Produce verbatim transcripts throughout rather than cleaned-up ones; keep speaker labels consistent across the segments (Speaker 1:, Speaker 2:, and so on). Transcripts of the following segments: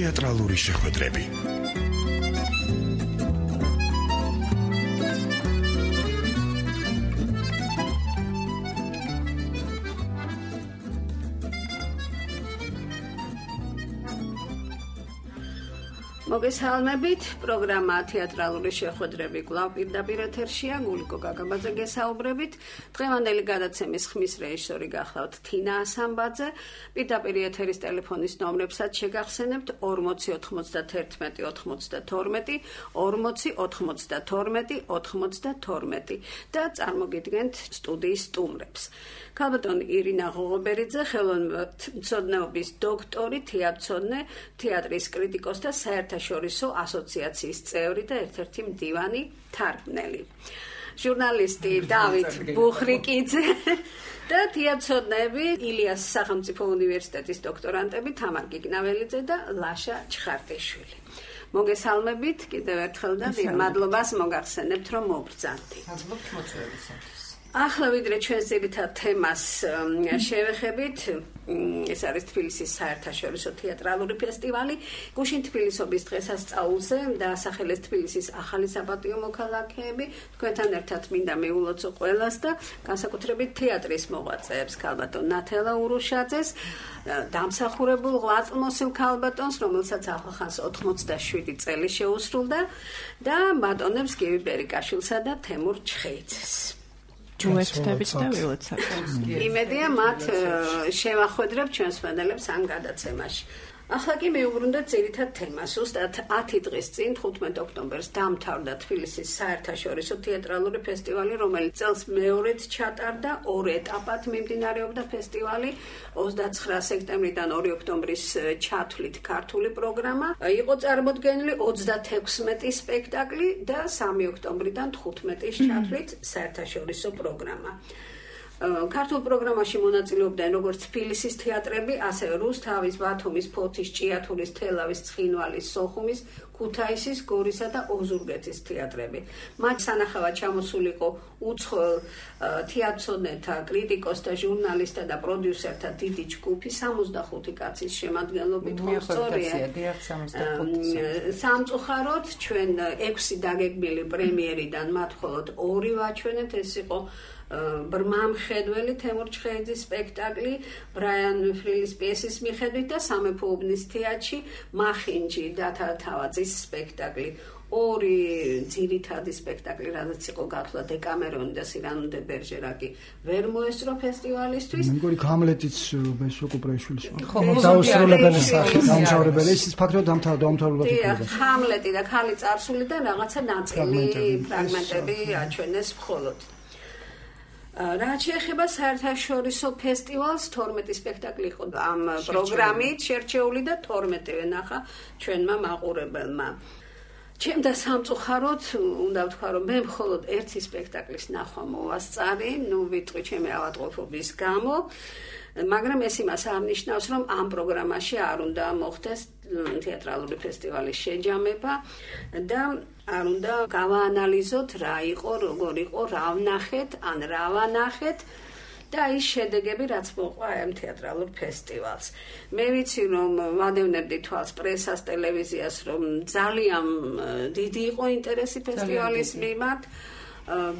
Speaker 1: თეატრალური შეხვედრები.
Speaker 2: მოგესალმებით, პროგრამა თეატრალური შეხვედრები კვლავ პირდაპირ ეთერშია, გულიკო გაგაბაძე გესაუბრებით. დღევანდელი გადაცემის ხმის რეჟისორი გახლავთ თინა ასამბაძე. პირდაპირ ეთერის ტელეფონის ნომრებსაც შეგახსენებთ ორმოცი ოთხმოცდათერთმეტი ოცდათორმეტი, ორმოცი ოთხმოცდათორმეტი ოცდათორმეტი და წარმოგიდგენთ სტუდიის სტუმრებს. ქალბატონ ირინა ღოღობერიძე, ხელოვნებათმცოდნეობის დოქტორი, თეატრმცოდნე, თეატრის კრიტიკოსი და საერთაშორისო ასოციაციის წევრი და ერთ-ერთი მდივანი თარგმნელი. ჟურნალისტი დავით ბუხრიკიძე და თეატრმცოდნეები ილიას სახელმწიფო უნივერსიტეტის დოქტორანტები თამარ გიგნაველიძე და ლაშა ჩხარტიშვილი. მოგესალმებით კიდევ ერთხელ და დიდ მადლობას მოგახსენებთ, რომ მობრძანდი.
Speaker 3: მადლობთ მოწვევისათვის.
Speaker 2: ახლა ვიდრე ჩვენს ძირითად თემას შევეხებით, ეს არის თბილისის საერთაშორისო თეატრალური ფესტივალი. გუშინ თბილისობის დღესასწაულზე დაასახელეს თბილისის ახალი საპატიო მოქალაქეები. თქვენთან ერთად მინდა მიულოცო ყველას და განსაკუთრებით თეატრის მოღვაწეებს, ქალბატონ ნათელა ურუშაძეს, დამსახურებულ ღვაწლმოსილ ქალბატონს, რომელსაც ახლახანს ოთხმოცდაშვიდი წელი შეუსრულდა და ბატონებს გივი ბერიკაშვილსა და თემურ ჩხეიძეს.
Speaker 4: უერთდებით და ვილოცავთ.
Speaker 2: იმედია მათ შევახვედრებთ ჩვენს მენელებს ამ გადაცემაში. ახლა კი მივუბრუნდეთ ძირითად თემას. ზუსტად ათი დღის წინ, ხუთმეტ ოქტომბერს დამთავრდა თბილისის საერთაშორისო თეატრალური ფესტივალი, რომელიც წელს მეორედ ჩატარდა, ორ ეტაპად მიმდინარეობდა ფესტივალი. ოცდაცხრა სექტემბრიდან ორი ოქტომბრის ჩათვლით ქართული პროგრამა. იყო წარმოდგენილი ოცდათექვსმეტი სპექტაკლი და სამი ოქტომბრიდან თხუთმეტის ჩათვლით საერთაშორისო პროგრამა. ქართულ პროგრამაში მონაწილეობდნენ როგორც თბილისის თეატრები, ასევე რუსთავის, ბათუმის, ფოთის, ჭიათურის, თელავის, ცხინვალის, სოხუმის, ქუთაისის, გორისა და ოზურგეთის თეატრები. მათ სანახავად ჩამოსული იყო უცხოელ თეატრმცოდნეთა, კრიტიკოსთა, ჟურნალისტთა და პროდიუსერთა დიდი ჯგუფი, სამოცდახუთი კაცის შემადგენლობით. სამწუხაროდ ჩვენ ექვსი დაგეგმილი პრემიერიდან მათ მხოლოდ ორი ვაჩვენეთ, ეს იყო ბრმამხედველი თემურ ჩხეიძის სპექტაკლი ბრაიან ფრილის პიესის მიხედვით და სამეფო უბნის თეატრში მახინჯი დათა თავაძის სპექტაკლი. ორი ძირითადი სპექტაკლი, რაც იყო გათვლა დეკამერონი და სირანო დე ბერჟერაკი, ვერ მოესწრო ფესტივალისთვის.
Speaker 5: მე მგონი ჰამლეტიც ბესოკუპრეშვილის დაუსრულებელი სახე დამთავრებელი, ის ფაქტობრივად დამთავრდა.
Speaker 2: დიახ, ჰამლეტი და ქალი წარსული და რაღაცა ნაწილი ფრაგმენტები აჩვენეს მხოლოდ. რაც შეეხება საერთაშორისო ფესტივალს, თორმეტი სპექტაკლი იყო ამ პროგრამით შერჩეული და თორმეტივე ნახა ჩვენმა მაყურებელმა. ჩემდა სამწუხაროდ უნდა ვთქვა, რომ მე მხოლოდ ერთი სპექტაკლის ნახვა მოვასწარი, ნუ ვიტყვი ჩემი ავადმყოფობის გამო, მაგრამ ეს იმას არ ნიშნავს, რომ ამ პროგრამაში არ უნდა მოხდეს თეატრალური ფესტივალის შეჯამება და არ უნდა გავაანალიზოთ რა იყო, როგორ იყო, რა ვნახეთ, ან რა ვანახეთ და ის შედეგები, რაც მოყვა ამ თეატრალურ ფესტივალს. მე ვიცი, რომ ვადევნებდი თვალს პრესას, ტელევიზიას, რომ ძალიან დიდი იყო ინტერესი ფესტივალის მიმართ.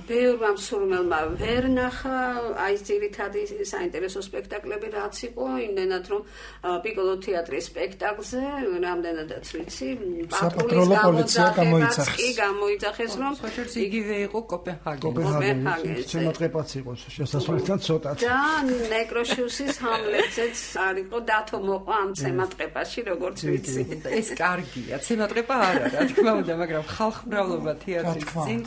Speaker 2: ბევრმა მსურველმა ვერ ნახა აი ეს ძირითადი საინტერესო სპექტაკლები რაც იყო, იმდენად რომ პიკოლო თეატრის სპექტაკლზე რამდენადაც ვიცი,
Speaker 5: საპატროლო პოლიცია გამოიძახეს.
Speaker 2: კი გამოიძახეს, რომ
Speaker 3: იგივე იყო კოპენჰაგენი.
Speaker 5: კოპენჰაგენი შემოწყებაც იყო შესასვლელთან ცოტა.
Speaker 2: და ნეკროშუსის ჰამლეტზეც არ იყო დათო მოყვა ამ ცემატყეპაში, როგორც ვიცი.
Speaker 3: ეს კარგია, ცემატყეპა არ არის, რა თქმა უნდა, მაგრამ ხალხმრავლობა თეატრის წინ.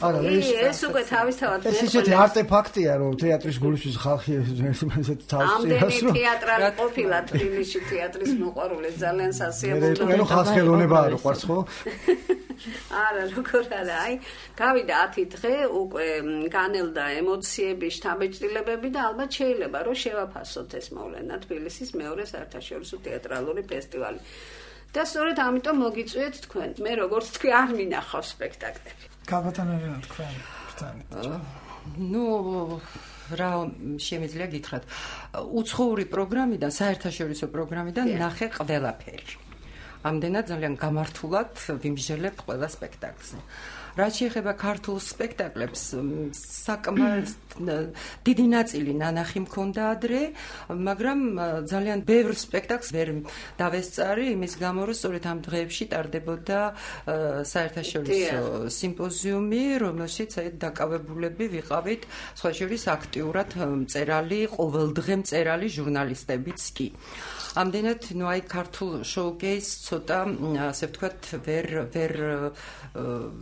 Speaker 2: ეს უკვე თავისთავად
Speaker 5: ეს ისეთი არტეფაქტია, რომ თეატრის გულისთვის ხალხი ესეთ თავს
Speaker 2: ამდენი თეატრალი ყოფილა თბილისში თეატრის მოყვარული ძალიან სასიამოვნო.
Speaker 5: მე ხალხს ხელოვნება არ უყვარს ხო?
Speaker 2: არა, როგორ არა, აი, გავიდა ათი დღე, უკვე განელდა ემოციები, შთაბეჭდილებები და ალბათ შეიძლება რომ შევაფასოთ ეს მოვლენა თბილისის მეორე საერთაშორისო თეატრალური ფესტივალი. და სწორედ ამიტომ მოგიწვიეთ თქვენ. მე როგორც თქვი არ მინახავ სპექტაკლები.
Speaker 5: ქალბატონებია თქვენ.
Speaker 3: ნუ რა შემიძლია გითხრათ, უცხოური პროგრამიდან, საერთაშორისო პროგრამიდან ნახე ყველაფერი. ამდენად ძალიან გამართულად ვიმსჯელებთ ყველა სპექტაკლზე. რაც შეეხება ქართულ სპექტაკლებს, საკმაოდ დიდი ნაწილი ნანახი მქონდა ადრე, მაგრამ ძალიან ბევრ სპექტაკლს ვერ დავესწარი, იმის გამო, რომ სწორედ ამ დღეებში ტარდებოდა საერთაშორისო სიმპოზიუმი, რომელშიც დაკავებულები ვიყავით, სხვა შორის აქტიურად მწერალი, ყოველდღე მწერალი ჟურნალისტებიც კი. ამდენად, ნუ აი ქართულ შოუკეის ცოტა, ასე ვთქვათ, ვერ ვერ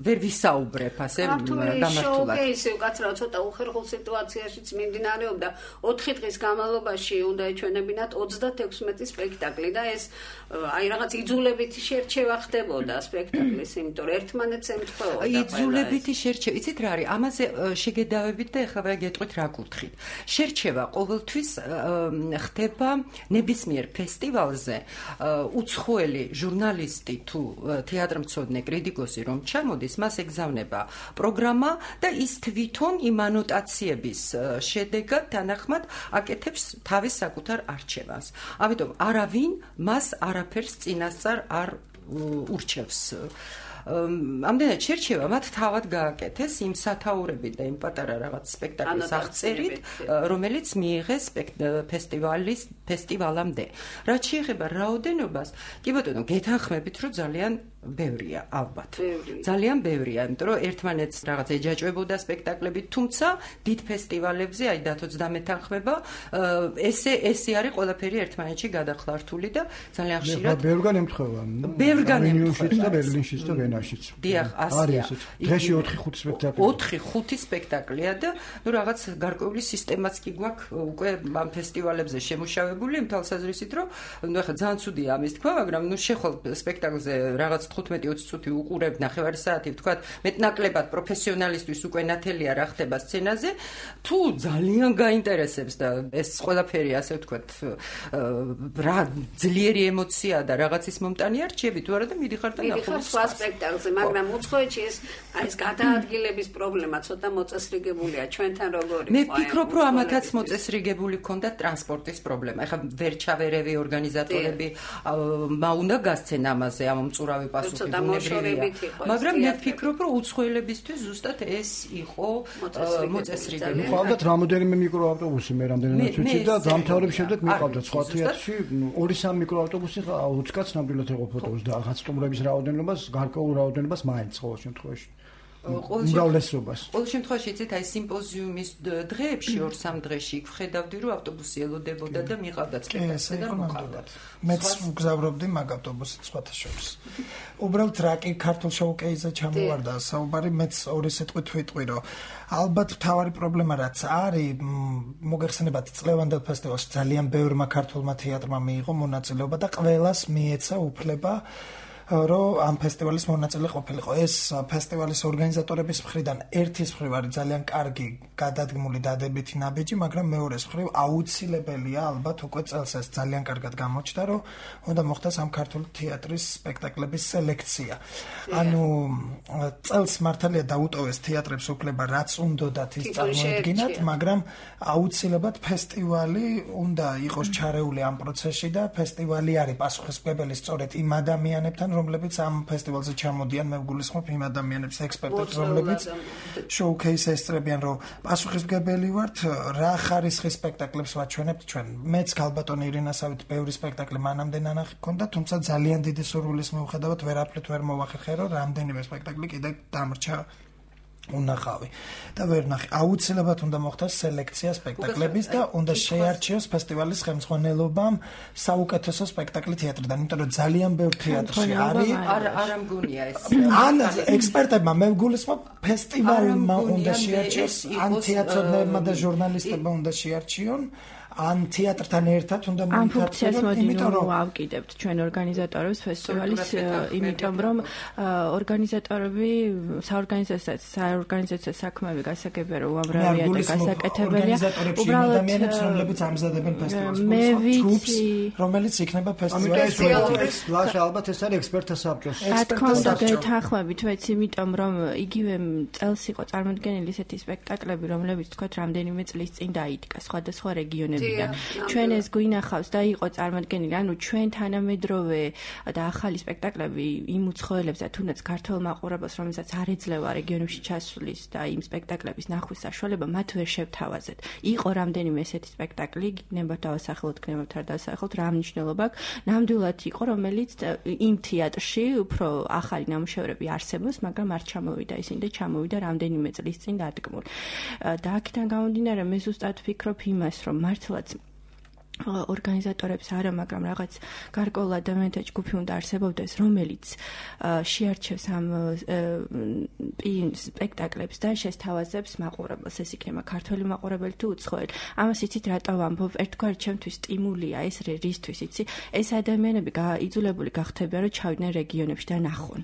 Speaker 3: ვერ ვისაუბრებ, ასე გამართულად.
Speaker 2: შოუკეისი უკაცრავ ცოტა უხერხულ სიტუაციაშიც მიმდინარეობდა. ოთხი დღის განმავლობაში უნდა ეჩვენებინათ ოცდათექვსმეტი სპექტაკლი და ეს აი რაღაც იძულებითი შერჩევა ხდებოდა სპექტაკლის, იმიტომ რომ ერთმანეთს ემთხვეოდა.
Speaker 3: იძულებითი შერჩევა, იცით რა არის? ამაზე შეგედავებით და ეხლა ვერ გეტყვით რა კუთხით. შერჩევა ყოველთვის ხდება ნებისმიერ ფესტივალზე უცხოელი ჟურნალისტი თუ თეატრმცოდნე კრიტიკოსი რომ ჩამოდის, მას ეგზავნება პროგრამა და ის თვითონ იმ ანოტაციების შედეგად თანახმად აკეთებს თავის საკუთარ არჩევანს. ამიტომ არავინ მას არაფერს წინასწარ არ ურჩევს. ამდენად შერჩევა მათ თავად გააკეთეს იმ სათაურებით და იმ პატარა რაღაც სპექტაკლის აღწერით, რომელიც მიიღეს ფესტივალის ფესტივალამდე. რაც შეეხება რაოდენობას, კი ბატონო, გეთანხმებით, რომ ძალიან ბევრია, ალბათ. ძალიან ბევრია, იმიტომ რომ ერთმანეთს რაღაც ეჯაჭვებოდა სპექტაკლები, თუმცა დიდ ფესტივალებზე, აი დათო ოცდამე თანხმება, ესე ესე არის ყველაფერი ერთმანეთში გადახლართული და ძალიან ხშირად
Speaker 5: ბევრგან ემთხვევა.
Speaker 3: ბევრგან
Speaker 5: ემთხვევა და ბერლინშიც და ვენაშიც.
Speaker 3: დიახ, ასეა.
Speaker 5: დღეში ოთხი ხუთი სპექტაკლია.
Speaker 3: ოთხი ხუთი სპექტაკლია და ნუ რაღაც გარკვეული სისტემაც კი გვაქვს უკვე ამ ფესტივალებზე შემუშავებული, იმ თვალსაზრისით, რომ ნუ ახლა ძალიან ცუდია ამის თქვა, მაგრამ ნუ შეხვალ სპექტაკლზე რაღაც თხუთმეტი ოცი წუთი უყურებ ნახევარი საათი, ვთქვათ, მეტნაკლებად პროფესიონალისტვის უკვე ნათელია რა ხდება სცენაზე, თუ ძალიან გაინტერესებს და ეს ყველაფერი, ასე ვთქვათ, რა ძლიერი ემოცია და რაღაცის მომტანი არჩევი, თუ არა და მიდიხარ და ნახულობ
Speaker 2: სხვა სპექტაკლზე, მაგრამ უცხოეთში ეს აი ეს გადაადგილების პრობლემა ცოტა მოწესრიგებულია ჩვენთან როგორი.
Speaker 3: მე ვფიქრობ, რომ ამათაც მოწესრიგებული ქონდა ტრანსპორტის პრობლემა. ეხლა ვერ ჩავერევი ორგანიზატორები, მა უნდა გასცენ ამაზე ამ მწურავი მაგრამ მე ვფიქრობ, რომ უცხოელებისთვის ზუსტად ეს იყო მოწესრიგებული.
Speaker 5: მიყავდათ რამოდენიმე მიკროავტობუსი, მე რამდენადაც ვიცი და დამთავრების შემდეგ მიყავდათ სხვა თეატრში ორი სამი მიკროავტობუსი ოცი კაც ნამდვილად ეყოფოთავს და რაღაც სტუმრების რაოდენობას, გარკვეულ რაოდენობას მაინც ყოველ შემთხვევაში. უმრავლესობას.
Speaker 3: ყოველ შემთხვევაში იცით, აი სიმპოზიუმის დღეებში ორ-სამ დღეში ვხედავდი, რომ ავტობუსი ელოდებოდა და მიყავდათ სპექტაკლი და მოყავდათ.
Speaker 1: მეც ვგზავრობდი მაგ ავტობუსით სხვათა შორის. უბრალოდ რა კი ქართულ შოუკეიზზე ჩამოვარდა საუბარი, მეც ორი სიტყვით ვიტყვი, რომ ალბათ მთავარი პრობლემა რაც არის, მოგეხსენებათ წლევანდელ ფესტივალში ძალიან ბევრმა ქართულმა თეატრმა მიიღო მონაწილეობა და ყველას მიეცა უფლება რომ ამ ფესტივალის მონაწილე ყოფილიყო. ეს ფესტივალის ორგანიზატორების მხრიდან ერთის მხრივ არის ძალიან კარგი გადადგმული დადებითი ნაბიჯი, მაგრამ მეორეს მხრივ აუცილებელია ალბათ უკვე წელს ეს ძალიან კარგად გამოჩნდა, რომ უნდა მოხდეს ამ ქართული თეატრის სპექტაკლების სელექცია. ანუ წელს მართალია დაუტოვეს თეატრებს უფლება რაც უნდათ ის წარმოედგინათ, მაგრამ აუცილებლად ფესტივალი უნდა იყოს ჩარეული ამ პროცესში და ფესტივალი არის პასუხისმგებელი სწორედ იმ ადამიანებთან, რომლებიც ამ ფესტივალზე ჩამოდიან, მე ვგულისხმობ იმ ადამიანებს, ექსპერტებს, რომლებიც შოუკეის ესწრებიან, რომ პასუხისმგებელი ვართ, რა ხარისხის სპექტაკლებს ვაჩვენებთ ჩვენ. მეც ქალბატონი ირინასავით ბევრი სპექტაკლი მანამდე ნანახი მქონდა, თუმცა ძალიან დიდი სურვილის მიუხედავად ვერაფრით ვერ მოვახერხე, რომ რამდენიმე სპექტაკლი კიდე დამრჩა უნახავი და ვერ ნახე. აუცილებლად უნდა მოხდეს სელექცია სპექტაკლების და უნდა შეარჩიოს ფესტივალის ხელმძღვანელობამ საუკეთესო სპექტაკლი თეატრიდან, იმიტომ რომ ძალიან ბევრ თეატრში არის.
Speaker 3: არ არ ამგონია ეს.
Speaker 1: ან ექსპერტებმა მე ვგულისხმობ ფესტივალმა უნდა შეარჩიოს, ან თეატრმცოდნეებმა და ჟურნალისტებმა უნდა შეარჩიონ. ან თეატრთან ერთად უნდა
Speaker 4: მოიქართონ, იმიტომ რომ ავკიდებთ ჩვენ ორგანიზატორებს ფესტივალის, იმიტომ რომ ორგანიზატორები საორგანიზაციო საორგანიზაციო საქმეები გასაგებია რომ უამრავია და გასაკეთებელია.
Speaker 1: უბრალოდ ადამიანებს რომლებიც ამზადებენ ფესტივალს, ჯგუფს, რომელიც იქნება
Speaker 5: ფესტივალის ლაშა ალბათ ეს არის ექსპერტთა საბჭოს.
Speaker 4: რა თქმა უნდა გეთანხმებით, ვეც იმიტომ რომ იგივე წელს იყო წარმოდგენილი ესეთი სპექტაკლები, რომლებიც თქვათ რამდენიმე წლის წინ დაიდგა სხვადასხვა რეგიონებში. წლებიდან. ჩვენ ეს გვინახავს და იყო წარმოდგენილი, ანუ ჩვენ თანამედროვე და ახალი სპექტაკლები იმ უცხოელებს და თუნდაც ქართველ მაყურებელს, რომელსაც არ ეძლევა რეგიონებში ჩასვლის და იმ სპექტაკლების ნახვის საშუალება, მათ ვერ შევთავაზეთ. იყო რამდენიმე ესეთი სპექტაკლი, გიგნებათ დავასახელოთ, გიგნებათ არ დავასახელოთ, რა მნიშვნელობა აქვს. ნამდვილად იყო, რომელიც იმ თეატრში უფრო ახალი ნამუშევრები არსებობს, მაგრამ არ ჩამოვიდა ისინი და ჩამოვიდა რამდენიმე წლის წინ დადგმული. და აქედან გამომდინარე, მე ზუსტად ვფიქრობ იმას, რომ მართლაც ორგანიზატორებს არა, მაგრამ რაღაც გარკვეულ ადამიანთა ჯგუფი უნდა არსებობდეს, რომელიც შეარჩევს ამ სპექტაკლებს და შესთავაზებს მაყურებელს, ეს იქნება ქართველი მაყურებელი თუ უცხოელი. ამას იცით რატო ვამბობ? ერთგვარი ჩემთვის სტიმულია ეს რისთვის იცი? ეს ადამიანები იძულებული გახდებიან, რომ ჩავიდნენ რეგიონებში და ნახონ.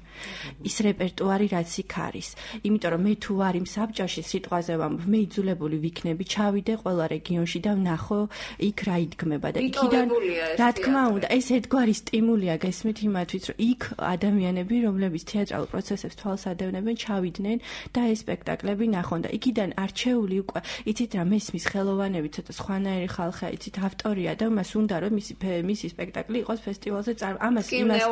Speaker 4: ის რეპერტუარი რაც იქ არის. იმიტომ რომ მე თუ ვარ იმ საბჭოში, სიტყვაზე ვამბობ, მე იძულებული ვიქნები, ჩავიდე ყველა რეგიონში და ვნახო იქ რა იდგმება. და იქიდან რა თქმა უნდა ეს ერთგვარი სტიმულია გესმით იმათვით რომ იქ ადამიანები რომლებიც თეატრალურ პროცესებს თვალს ადევნებენ ჩავიდნენ და ეს სპექტაკლები ნახონ და იქიდან არჩეული უკვე იცით რა მესმის ხელოვანები ცოტა სხვანაირი ხალხია იცით ავტორია და მას უნდა რომ მისი მისი სპექტაკლი იყოს ფესტივალზე ამას იმას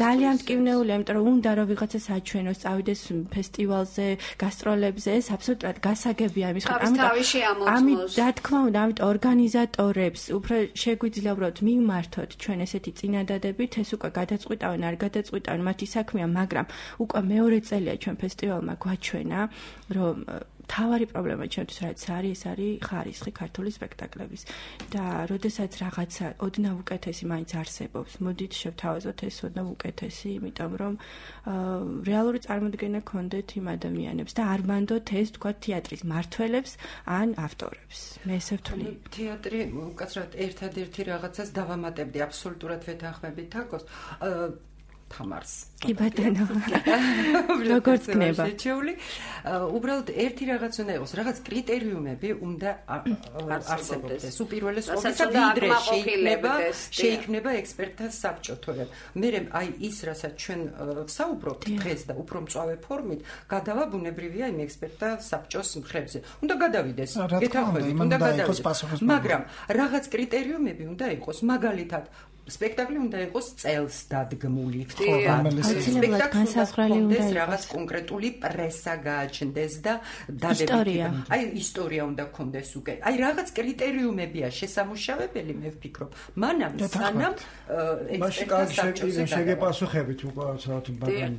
Speaker 4: ძალიან მტკივნეულია იმიტომ რომ უნდა რომ ვიღაცა საჩვენოს წავიდეს ფესტივალზე გასტროლებზე ეს აბსოლუტურად გასაგებია ამის ამით რა თქმა უნდა ამით ორგანიზატორებს უფრო შეგვიძლია უბრალოდ მივმართოთ ჩვენ ესეთი წინადადებით, ეს უკვე გადაწყვიტავენ, არ გადაწყვიტავენ, მათი საქმეა, მაგრამ უკვე მეორე წელია ჩვენ ფესტივალმა გვაჩვენა, რომ თავარი პრობლემა ჩვენთვის რაც არის, ეს არის ხარისხი ქართული სპექტაკლების. და როდესაც რაღაცა ოდნავ უკეთესი მაინც არსებობს, მოდით შევთავაზოთ ეს ოდნავ უკეთესი, იმიტომ რომ რეალური წარმოდგენა გქონდეთ იმ ადამიანებს და არ მანდოთ ეს თქვა თეატრის მართველებს ან ავტორებს. მე ესე ვთვლი.
Speaker 3: თეატრი უკაცრავად ერთადერთი რაღაცას დავამატებდი აბსოლუტურად ვეთანხმებით თაკოს. თამარს.
Speaker 4: კი ბატონო. როგორც გნება.
Speaker 3: შეჩეული. უბრალოდ ერთი რაღაც უნდა იყოს, რაღაც კრიტერიუმები უნდა არსებობდეს. უპირველეს ყოვლისა ვიდრე შეიქმნება, შეიქმნება ექსპერტთა საბჭო, თორემ მე აი ის, რასაც ჩვენ ვსაუბრობთ დღეს და უფრო მწვავე ფორმით, გადავა ბუნებრივია იმ ექსპერტთა საბჭოს მხრებზე. უნდა გადავიდეს. გეთანხმებით, უნდა გადავიდეს. მაგრამ რაღაც კრიტერიუმები უნდა იყოს, მაგალითად სპექტაკლი უნდა იყოს წელს დადგმული.
Speaker 4: აუცილებლად განსაზღვრელი უნდა
Speaker 3: იყოს. რაღაც კონკრეტული პრესა გააჩნდეს და დადებითი. აი ისტორია უნდა გქონდეს უკვე. აი რაღაც კრიტერიუმებია შესამუშავებელი, მე ვფიქრობ. მანამ სანამ
Speaker 5: ექსპერტთა საბჭოზე შეგეპასუხებით უკვე ცოტა მაგრამ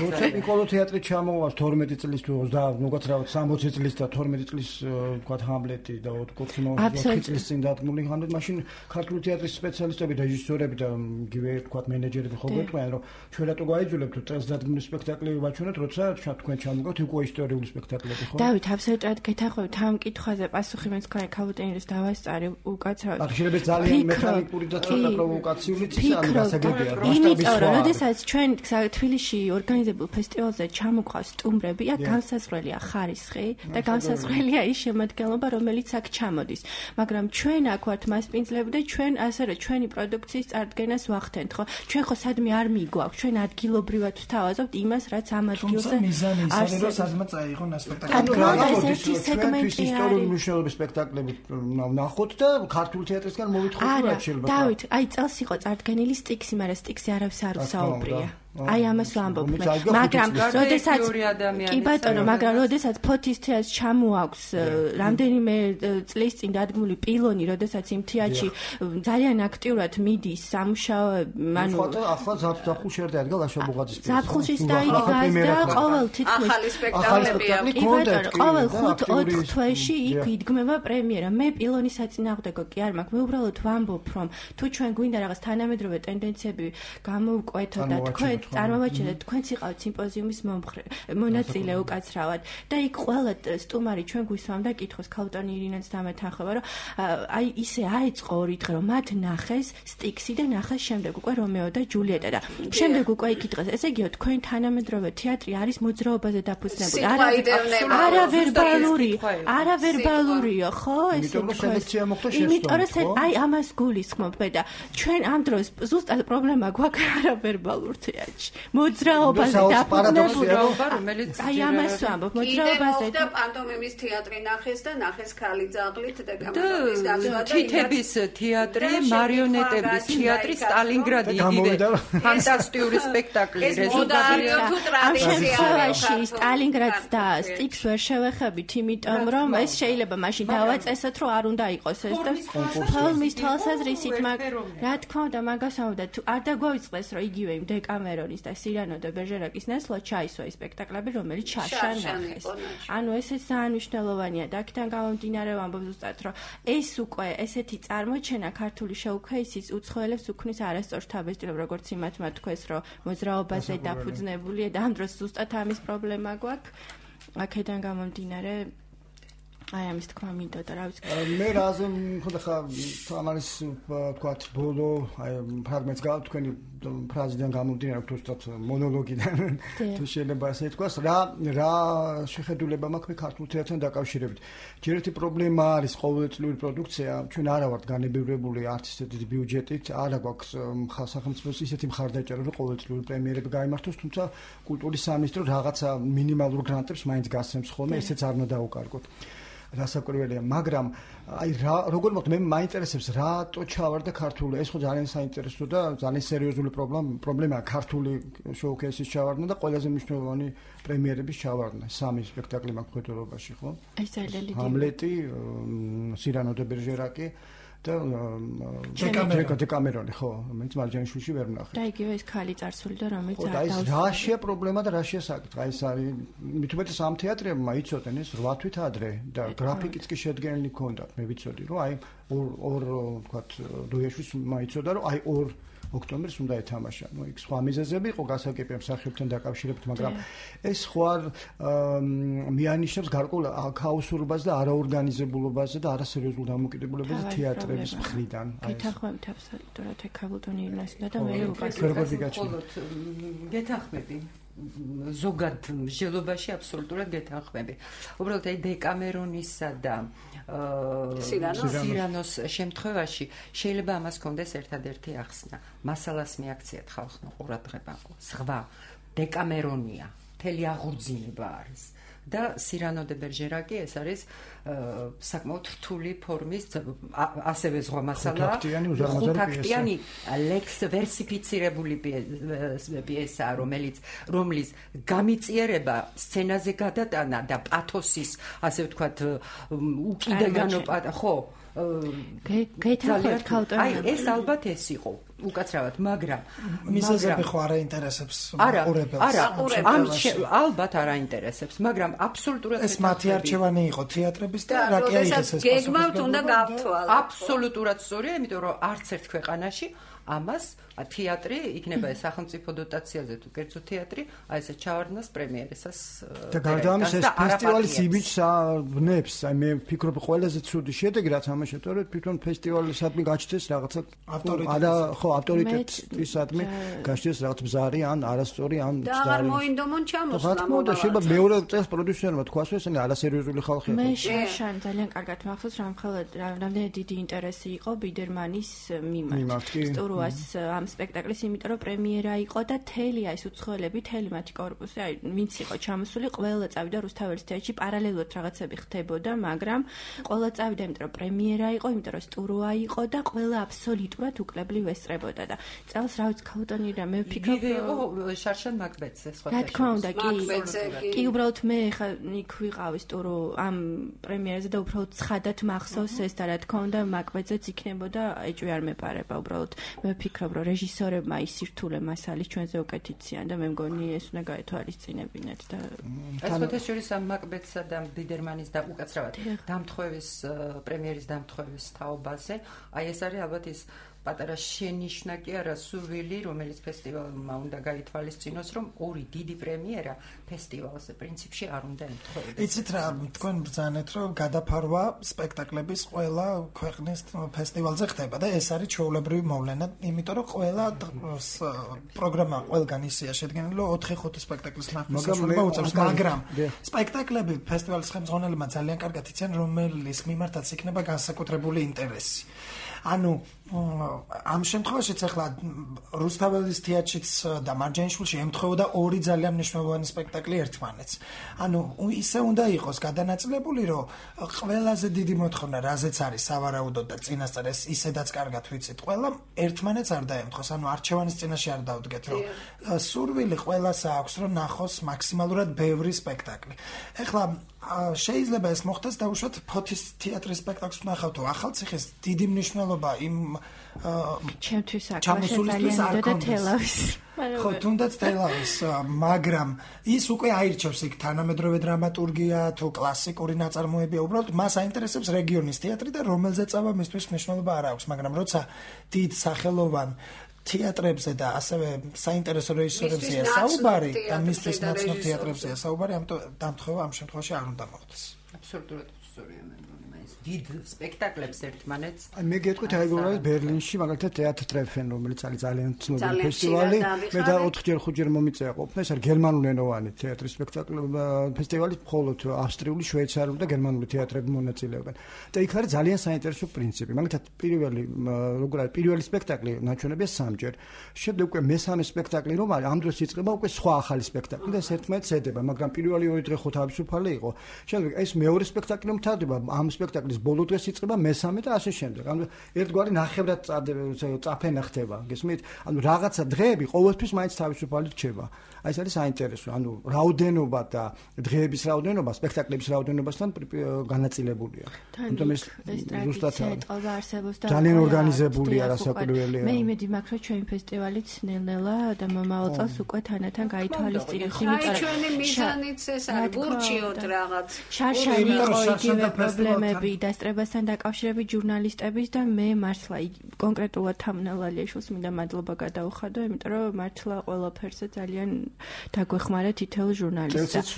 Speaker 5: როცა ნიკოლო თეატრი ჩამოვა თორმეტი წლის თუ ოცდაათი სამოცი წლის და თორმეტი წლის თქვა ჰამლეტი და ოთხი წლის წინ დადგმული ჰამლეტი მაშინ ქართული თეატრის სპეციალისტები და რეჟისორები და იგივე თქვა მენეჯერები ხო გვეტყვიან რომ ჩვენ რატო გაიძულებთ წელს დადგმული სპექტაკლები ვაჩვენოთ როცა თქვენ ჩამოგავთ უკვე ისტორიული სპექტაკლები ხო
Speaker 4: დავით აბსოლუტურად გეთანხმებით ამ კითხვაზე პასუხი მეც თქვენ ქაუტენილის დავასწარი უკაცრავად
Speaker 5: აქ შეიძლება ძალიან მექანიკური და ცოტა პროვოკაციული ცისარი გასაგებია
Speaker 4: იმიტომ რომ როდესაც ჩვენ თბილისში ორგანიზებულ ფესტივალზე ჩამოყავს სტუმრები აქ განსაზღვრელია ხარისხი და განსაზღვრელია ის შემადგენლობა რომელიც აქ ჩამოდის მაგრამ ჩვენ აქ ვართ მასპინძლები და ჩვენ ასე რომ ჩვენი პროდუქციის წარდგენას ვახდენთ ხო ჩვენ ხო სადმე არ მიგვაქვს ჩვენ ადგილობრივად ვთავაზობთ იმას რაც ამ ადგილზე
Speaker 1: არის რომ სადმე წაიღონ სპექტაკლი
Speaker 4: ეს სეგმენტი
Speaker 5: ისტორიული მნიშვნელობის სპექტაკლები ვნახოთ და ქართულ თეატრისგან მოვითხოვოთ რა შეიძლება
Speaker 4: დავით აი წელს იყო წარდგენილი სტიქსი მაგრამ სტიქსი არავის არ უსაუბრია აი ამას ვამბობ მე მაგრამ როდესაც კი ბატონო მაგრამ როდესაც ფოთის თეატრს ჩამოაქვს რამდენიმე წლის წინ დადგმული პილონი როდესაც იმ თეატრში ძალიან აქტიურად მიდის სამუშაოები ანუ
Speaker 5: ახლა ზაფხულ შეერთა ადგილ აშობუღაძის
Speaker 4: პილონი ზაფხულშიც დაიგდა ყოველ თითქმის
Speaker 2: ახალი სპექტაკლებია
Speaker 4: კი ბატონო ყოველ ხუთ ოთხ თვეში იქ იდგმება პრემიერა მე პილონის საწინააღმდეგო კი არ მაქვს მე უბრალოდ ვამბობ რომ თუ ჩვენ გვინდა რაღაც თანამედროვე ტენდენციები გამოვკვეთოთ და თქვენ წარმოვაჩინეთ თქვენც იყავთ სიმპოზიუმის მომხრე მონაწილე უკაცრავად და იქ ყველა სტუმარი ჩვენ გვისვამდა კითხოს ქალტონი ირინაც დამეთანხმება რომ აი ისე აიწყო ორი დღე რომ მათ ნახეს სტიქსი და ნახეს შემდეგ უკვე რომეო და ჯულიეტა და შემდეგ უკვე იქ იტყეს ესე იგივე თქვენ თანამედროვე თეატრი არის მოძრაობაზე დაფუძნებული არავერბალური არავერბალურია ხო
Speaker 5: ესე თქვენ
Speaker 4: იმიტომ რომ აი ამას გულისხმობ მე და ჩვენ ამ დროს ზუსტად პრობლემა გვაქვს არავერბალურ თეატრს მოძრაობაზე დაფუძნებული
Speaker 3: რომელიც
Speaker 4: აი ამას ვამბობ მოძრაობაზე
Speaker 2: და პანტომიმის თეატრი ნახეს და ნახეს ქალი ძაღლით დეკამერონის გასვლა და
Speaker 3: თითების თეატრი მარიონეტების თეატრი სტალინგრადი იგივე ფანტასტიკური სპექტაკლი რეზულტატია
Speaker 4: ამ შემთხვევაში სტალინგრადს და სტიქს ვერ შევეხებით იმიტომ რომ ეს შეიძლება მაშინ დავაწესოთ რომ არ უნდა იყოს ეს და ფილმის თვალსაზრისით მაგ რა თქმა უნდა მაგას ამბობდა თუ არ დაგვაიწყდეს რომ იგივე იმ დეკამერონის და სირანო და ბერჟერაკის ნესლად ჩაისვა ეს სპექტაკლები რომელიც შაშა ნახეს ანუ ეს ძალიან მნიშვნელოვანია და აქედან გამომდინარე ვამბობ ზუსტად რომ ეს უკვე ესეთი წარმოჩენა ქართული შეუქმნის უცხოელებს უქმნის არასწორ თავისუფლებას როგორც იმათმა თქვეს რომ მოძრაობაზე დაფუძნებულია და ამ დროს ზუსტად ამის პრობლემა გვაქვს აქედან გამომდინარე აი ამის თქმა მინდოდა რა ვიცი
Speaker 5: მე რაზე ხოდა ხა თამარის თქვათ ბოლო აი ფრაგმენტს გავა თქვენი ფრაზიდან გამომდინარე თუცად მონოლოგიდან თუ შეიძლება ასე თქვას რა რა შეხედულება მაქვს მე ქართულ თეატრთან დაკავშირებით ჯერ ერთი პრობლემა არის ყოველწლიური პროდუქცია ჩვენ არა ვართ განებივრებული არც ისეთი ბიუჯეტით არა გვაქვს სახელმწიფოს ისეთი მხარდაჭერა რომ ყოველწლიური პრემიერები გაიმართოს თუმცა კულტურის სამინისტრო რაღაცა მინიმალურ გრანტებს მაინც გასცემს ხოლმე ესეც არ უნდა დაუკარგოთ რასაკვირველია, მაგრამ აი რა როგორ მოხდა მე მაინტერესებს რატო ჩავარდა ქართული ეს ხო ძალიან საინტერესო და ძალიან სერიოზული პრობლემა პრობლემაა ქართული შოუკეისის ჩავარდნა და ყველაზე მნიშვნელოვანი პრემიერების ჩავარდნა სამი სპექტაკლი მაქვს ხედულობაში ხო
Speaker 4: ეს ძალიან დიდი
Speaker 5: ჰამლეტი სირანო და ბერჟერაკი და დეკამერონი ხო რომელიც მარჯანიშვილში ვერ ვნახე
Speaker 4: და იგივე ეს ქალი წარსული და რომელიც
Speaker 5: არ დავსვლა და ეს რაშია პრობლემა და რაშია საკითხი აი ეს არის მithumetes ამ თეატრებმა იცოდნენ ეს რვა თვით ადრე და გრაფიკიც კი შედგენილი ჰქონდათ მე ვიცოდი რომ აი ორ ორ თქვათ დუიაშვილს მაიცოდა რომ აი ორ ოქტომბერს უნდა ეთამაშა. ნუ იქ სხვა მიზეზები იყო გასაგებია მსახიობთან დაკავშირებით, მაგრამ ეს ხო არ მიანიშნებს გარკვეულ ქაოსურობას და არაორგანიზებულობაზე და არასერიოზულ დამოკიდებულებაზე თეატრების მხრიდან.
Speaker 4: გეთანხმებით აბსოლუტურად ეკაბულტონი იმასდა და მე
Speaker 3: უყურებ. გეთანხმები. ზოგად მსჯელობაში აბსოლუტურად გეთანხმები. უბრალოდ აი დეკამერონისა და სირანოს შემთხვევაში შეიძლება ამას კონდეს ერთადერთი ახსნა. მასალას მიაქციათ ხალხმა ყურადღება. სხვა დეკამერონია, მთელი აღორძინება არის. და სირანო და ბერჟერაკი ეს არის საკმაოდ რთული ფორმის ასევე სხვა მასალა ხუთაქტიანი ლექს ვერსიფიცირებული პიესაა რომელიც რომლის გამიწიერება სცენაზე გადატანა და პათოსის ასე ვთქვათ უკიდეგანო ხო
Speaker 4: გეთანხმებით ქალტონი
Speaker 3: აი ეს ალბათ ეს იყო უკაცრავად მაგრამ
Speaker 1: მიზეზები ხო არ აინტერესებს ყურებელს
Speaker 3: არა ამ ალბათ არ აინტერესებს მაგრამ აბსოლუტურად
Speaker 1: ეს მათი არჩევანი იყო თეატრების და რა კი არის ეს
Speaker 2: გეგმავთ უნდა გავთვალოთ
Speaker 3: აბსოლუტურად სწორია იმიტომ რომ არც ერთ ქვეყანაში ამას თეატრი იქნება ეს სახელმწიფო დოტაციაზე თუ კერძო თეატრი აი ესე ჩავარდნას პრემიერისას
Speaker 5: და გარდა ამისა ეს ფესტივალის იმიჯს ვნებს აი მე ვფიქრობ ყველაზე ცუდი შედეგი რაც ამაში თორე თვითონ ფესტივალისადმი გაჩნდეს რაღაცა არა ხო ავტორიტეტისადმი გაჩნდეს რაღაც ბზარი ან არასწორი ან
Speaker 2: და აღარ მოინდომონ ჩამოსვლა
Speaker 5: და შეიძლება მეორე წელს პროდიუსერმა თქვას რომ ესენი არასერიოზული ხალხია
Speaker 4: მე შაშან ძალიან კარგად მახსოვს რომ ხოლმე რამდენი დიდი ინტერესი იყო ბიდერმანის მიმართ სტურუას ამ სპექტაკლის, იმიტომ რომ პრემიერა იყო და თელია ეს უცხოელები, თელი მათი კორპუსი, აი ვინც იყო ჩამოსული, ყველა წავიდა რუსთაველის თეატრში, პარალელურად რაღაცები ხდებოდა, მაგრამ ყველა წავიდა, იმიტომ რომ პრემიერა იყო, იმიტომ რომ სტურუა იყო და ყველა აბსოლუტურად უკლებლივ ესწრებოდა და წელს რა ვიცი ქალტონი რა მე ვფიქრობ
Speaker 3: იყო შარშან მაკბეტზე სხვა
Speaker 4: რა თქმა უნდა კი კი უბრალოდ მე ხა იქ ვიყავი სტურო ამ პრემიერაზე და უბრალოდ ცხადად მახსოვს ეს და რა თქმა უნდა მაკბეტზეც იქნებოდა ეჭვი არ მეპარება უბრალოდ მე ვფიქრობ რომ რეჟისორებმა ისირთულე მასალის ჩვენზე უკეთიციან და მე მგონი ეს უნდა გაეთვალისწინებინათ და
Speaker 3: ეს შორის ამ მაკბეტსა და ბიდერმანის და უკაცრავად დამთხოვების პრემიერის დამთხოვების თაობაზე აი ეს არის ალბათ ის პატარა შენიშვნა კი არა სურვილი რომელიც ფესტივალმა უნდა გაითვალისწინოს რომ ორი დიდი პრემიერა ფესტივალზე პრინციპში არ უნდა ემთხვეოდეს.
Speaker 1: იცით რა თქვენ ბრძანეთ რომ გადაფარვა სპექტაკლების ყველა ქვეყნის ფესტივალზე ხდება და ეს არის ჩვეულებრივი მოვლენა იმიტომ რომ ყველა პროგრამა ყველგან ისეა შედგენილი რომ ოთხი ხუთი სპექტაკლის ნახვის საშუალება უწევს მაგრამ სპექტაკლები ფესტივალის ხელმძღვანელებმა ძალიან კარგად იციან რომლის მიმართაც იქნება განსაკუთრებული ინტერესი. ანუ ამ შემთხვევაშიც ახლა რუსთაველის თეატრშიც და მარჯანიშვილში ემთხვეოდა ორი ძალიან მნიშვნელოვანი სპექტაკლი ერთმანეთს. ანუ ისე უნდა იყოს გადანაწილებული, რომ ყველაზე დიდი მოთხოვნა, რაზეც არის სავარაუდოდ და წინასწარ ეს ისედაც კარგად ვიცით, ყველა ერთმანეთს არ დაემთხვეს. ანუ არჩევანის წინაშე არ დავდგეთ, რომ სურვილი ყველას აქვს, რომ ნახოს მაქსიმალურად ბევრი სპექტაკლი. ეხლა შეიძლება ეს მოხდეს დაუშვათ ფოთის თეატრის სპექტაკლს ვნახავთ თუ ახალციხის დიდი მნიშვნელობა იმ
Speaker 4: ჩემთვის აქ და თელავის
Speaker 1: ხო თუნდაც თელავის მაგრამ ის უკვე აირჩევს იქ თანამედროვე დრამატურგია თუ კლასიკური ნაწარმოებია უბრალოდ მას აინტერესებს რეგიონის თეატრი და რომელზეც აბა მისთვის მნიშვნელობა არ აქვს მაგრამ როცა დიდ სახელოვან თეატრებზე და ასევე საინტერესო რეჟისორებზეა საუბარი და მისთვის ნაცნობ თეატრებზეა საუბარი ამიტომ დამთხევა ამ შემთხვევაში არ უნდა მოხდეს
Speaker 3: აბსოლუტურად სწორია მე მგონი ეს დიდ სპექტაკლებს ერთმანეთს
Speaker 5: აი მე გეტყვით აი როგორ ბერლინში მაგალითად თეატრ ტრეფენ რომელიც არის ძალიან ცნობილი ფესტივალი მე და ოთხჯერ ხუთჯერ მომიწევა ყოფნა ეს არის გერმანულენოვანი თეატრის სპექტაკლი ფესტივალი მხოლოდ ავსტრიული შვეიცარიული და გერმანული თეატრები მონაწილეობენ და იქ არის ძალიან საინტერესო პრინციპი მაგალითად პირველი როგორ არის პირველი სპექტაკლი ნაჩვენებია სამჯერ შემდეგ უკვე მესამე სპექტაკლი რომ არის ამ დროს იწყება უკვე სხვა ახალი სპექტაკლი და ეს ერთმანეთს ედება მაგრამ პირველი ორი დღე ხო თავისუფალი იყო შემდეგ ეს მეორე სპექტაკლი მთავრდება ამ სპექტაკლის ბოლო დღეს იწყება მესამე და ასე შემდეგ. ანუ ერთგვარი ნახევრად წაფენა ხდება. გესმით? ანუ რაღაცა დღეები ყოველთვის მაინც თავისუფალი რჩება. აი ეს არის საინტერესო. ანუ რაოდენობა და დღეების რაოდენობა სპექტაკლების რაოდენობასთან განაწილებულია.
Speaker 4: ამიტომ ეს ზუსტად არსებობს და
Speaker 5: ძალიან ორგანიზებულია რასაკვირველია.
Speaker 4: მე იმედი მაქვს რომ ჩვენი ფესტივალიც ნელ-ნელა და მომავალ წელს უკვე თანათან გაითვალისწინებს
Speaker 2: იმიტომ რომ ჩვენი მიზანიც ეს არის გურჩიოთ რაღაც.
Speaker 4: შარშანი იყო იგივე პრობლემები დასწრებასთან დაკავშირებით ჟურნალისტების და მე მართლა კონკრეტულად თამნავალიაშვილს მინდა მადლობა გადაუხადო, იმიტომ რომ მართლა ყველაფერზე ძალიან დაგვეხმარა თითოეულ ჟურნალისტს.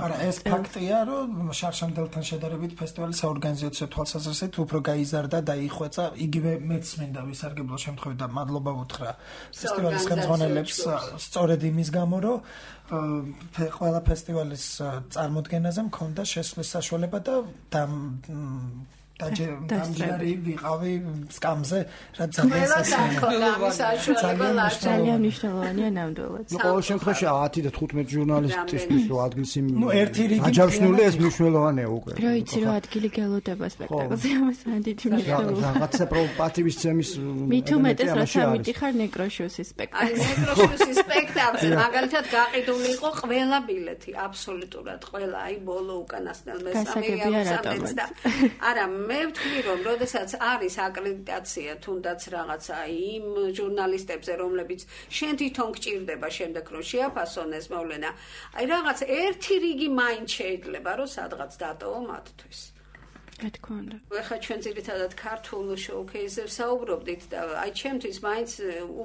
Speaker 1: არა, ეს ფაქტია, რომ შარშანდელთან შედარებით ფესტივალი საორგანიზაციო თვალსაზრისით უფრო გაიზარდა და იხვეწა, იგივე მეც მინდა ვისარგებლო შემთხვევით და მადლობა ვუთხრა ფესტივალის ხელმძღვანელებს სწორედ იმის გამო, რომ ყველა ფესტივალის წარმოდგენაზე მქონდა შესვლის საშუალება და დამჯერარი ვიყავი სკამზე, რაც ძალიან
Speaker 4: ძალიან მნიშვნელოვანია ნამდვილად.
Speaker 5: ნუ ყოველ შემთხვევაში ათი და თხუთმეტი ჟურნალისტისთვის რო ადგილს იმ
Speaker 1: ნუ ერთი რიგი
Speaker 5: აჯავშნული ეს მნიშვნელოვანია უკვე.
Speaker 4: რო იცი რომ ადგილი გელოდება სპექტაკლზე ამას დიდი მნიშვნელობა.
Speaker 5: რაღაცა პატივის ცემის
Speaker 4: მით უმეტეს რა სამიტიხარ ნეკროშიუსის სპექტაკლზე.
Speaker 2: აი ნეკროშიუსის სპექტაკლზე მაგალითად გაყიდული იყო ყველა ბილეთი, აბსოლუტურად ყველა, აი ბოლო უკანასკნელ მესამე ამსამეთს და არა მე ვთვლი რომ როდესაც არის აკრედიტაცია თუნდაც რაღაცა იმ ჟურნალისტებზე რომლებიც შენ თვითონ გჭირდება შემდეგ რომ შეაფასონ ეს მოვლენა აი რაღაც ერთი რიგი მაინც შეიძლება რომ სადღაც დატოვო მათთვის
Speaker 4: რა თქმა უნდა.
Speaker 2: ახლა ჩვენ ძირითადად ქართულ შოუქეიზზე საუბრობდით და აი ჩემთვის მაინც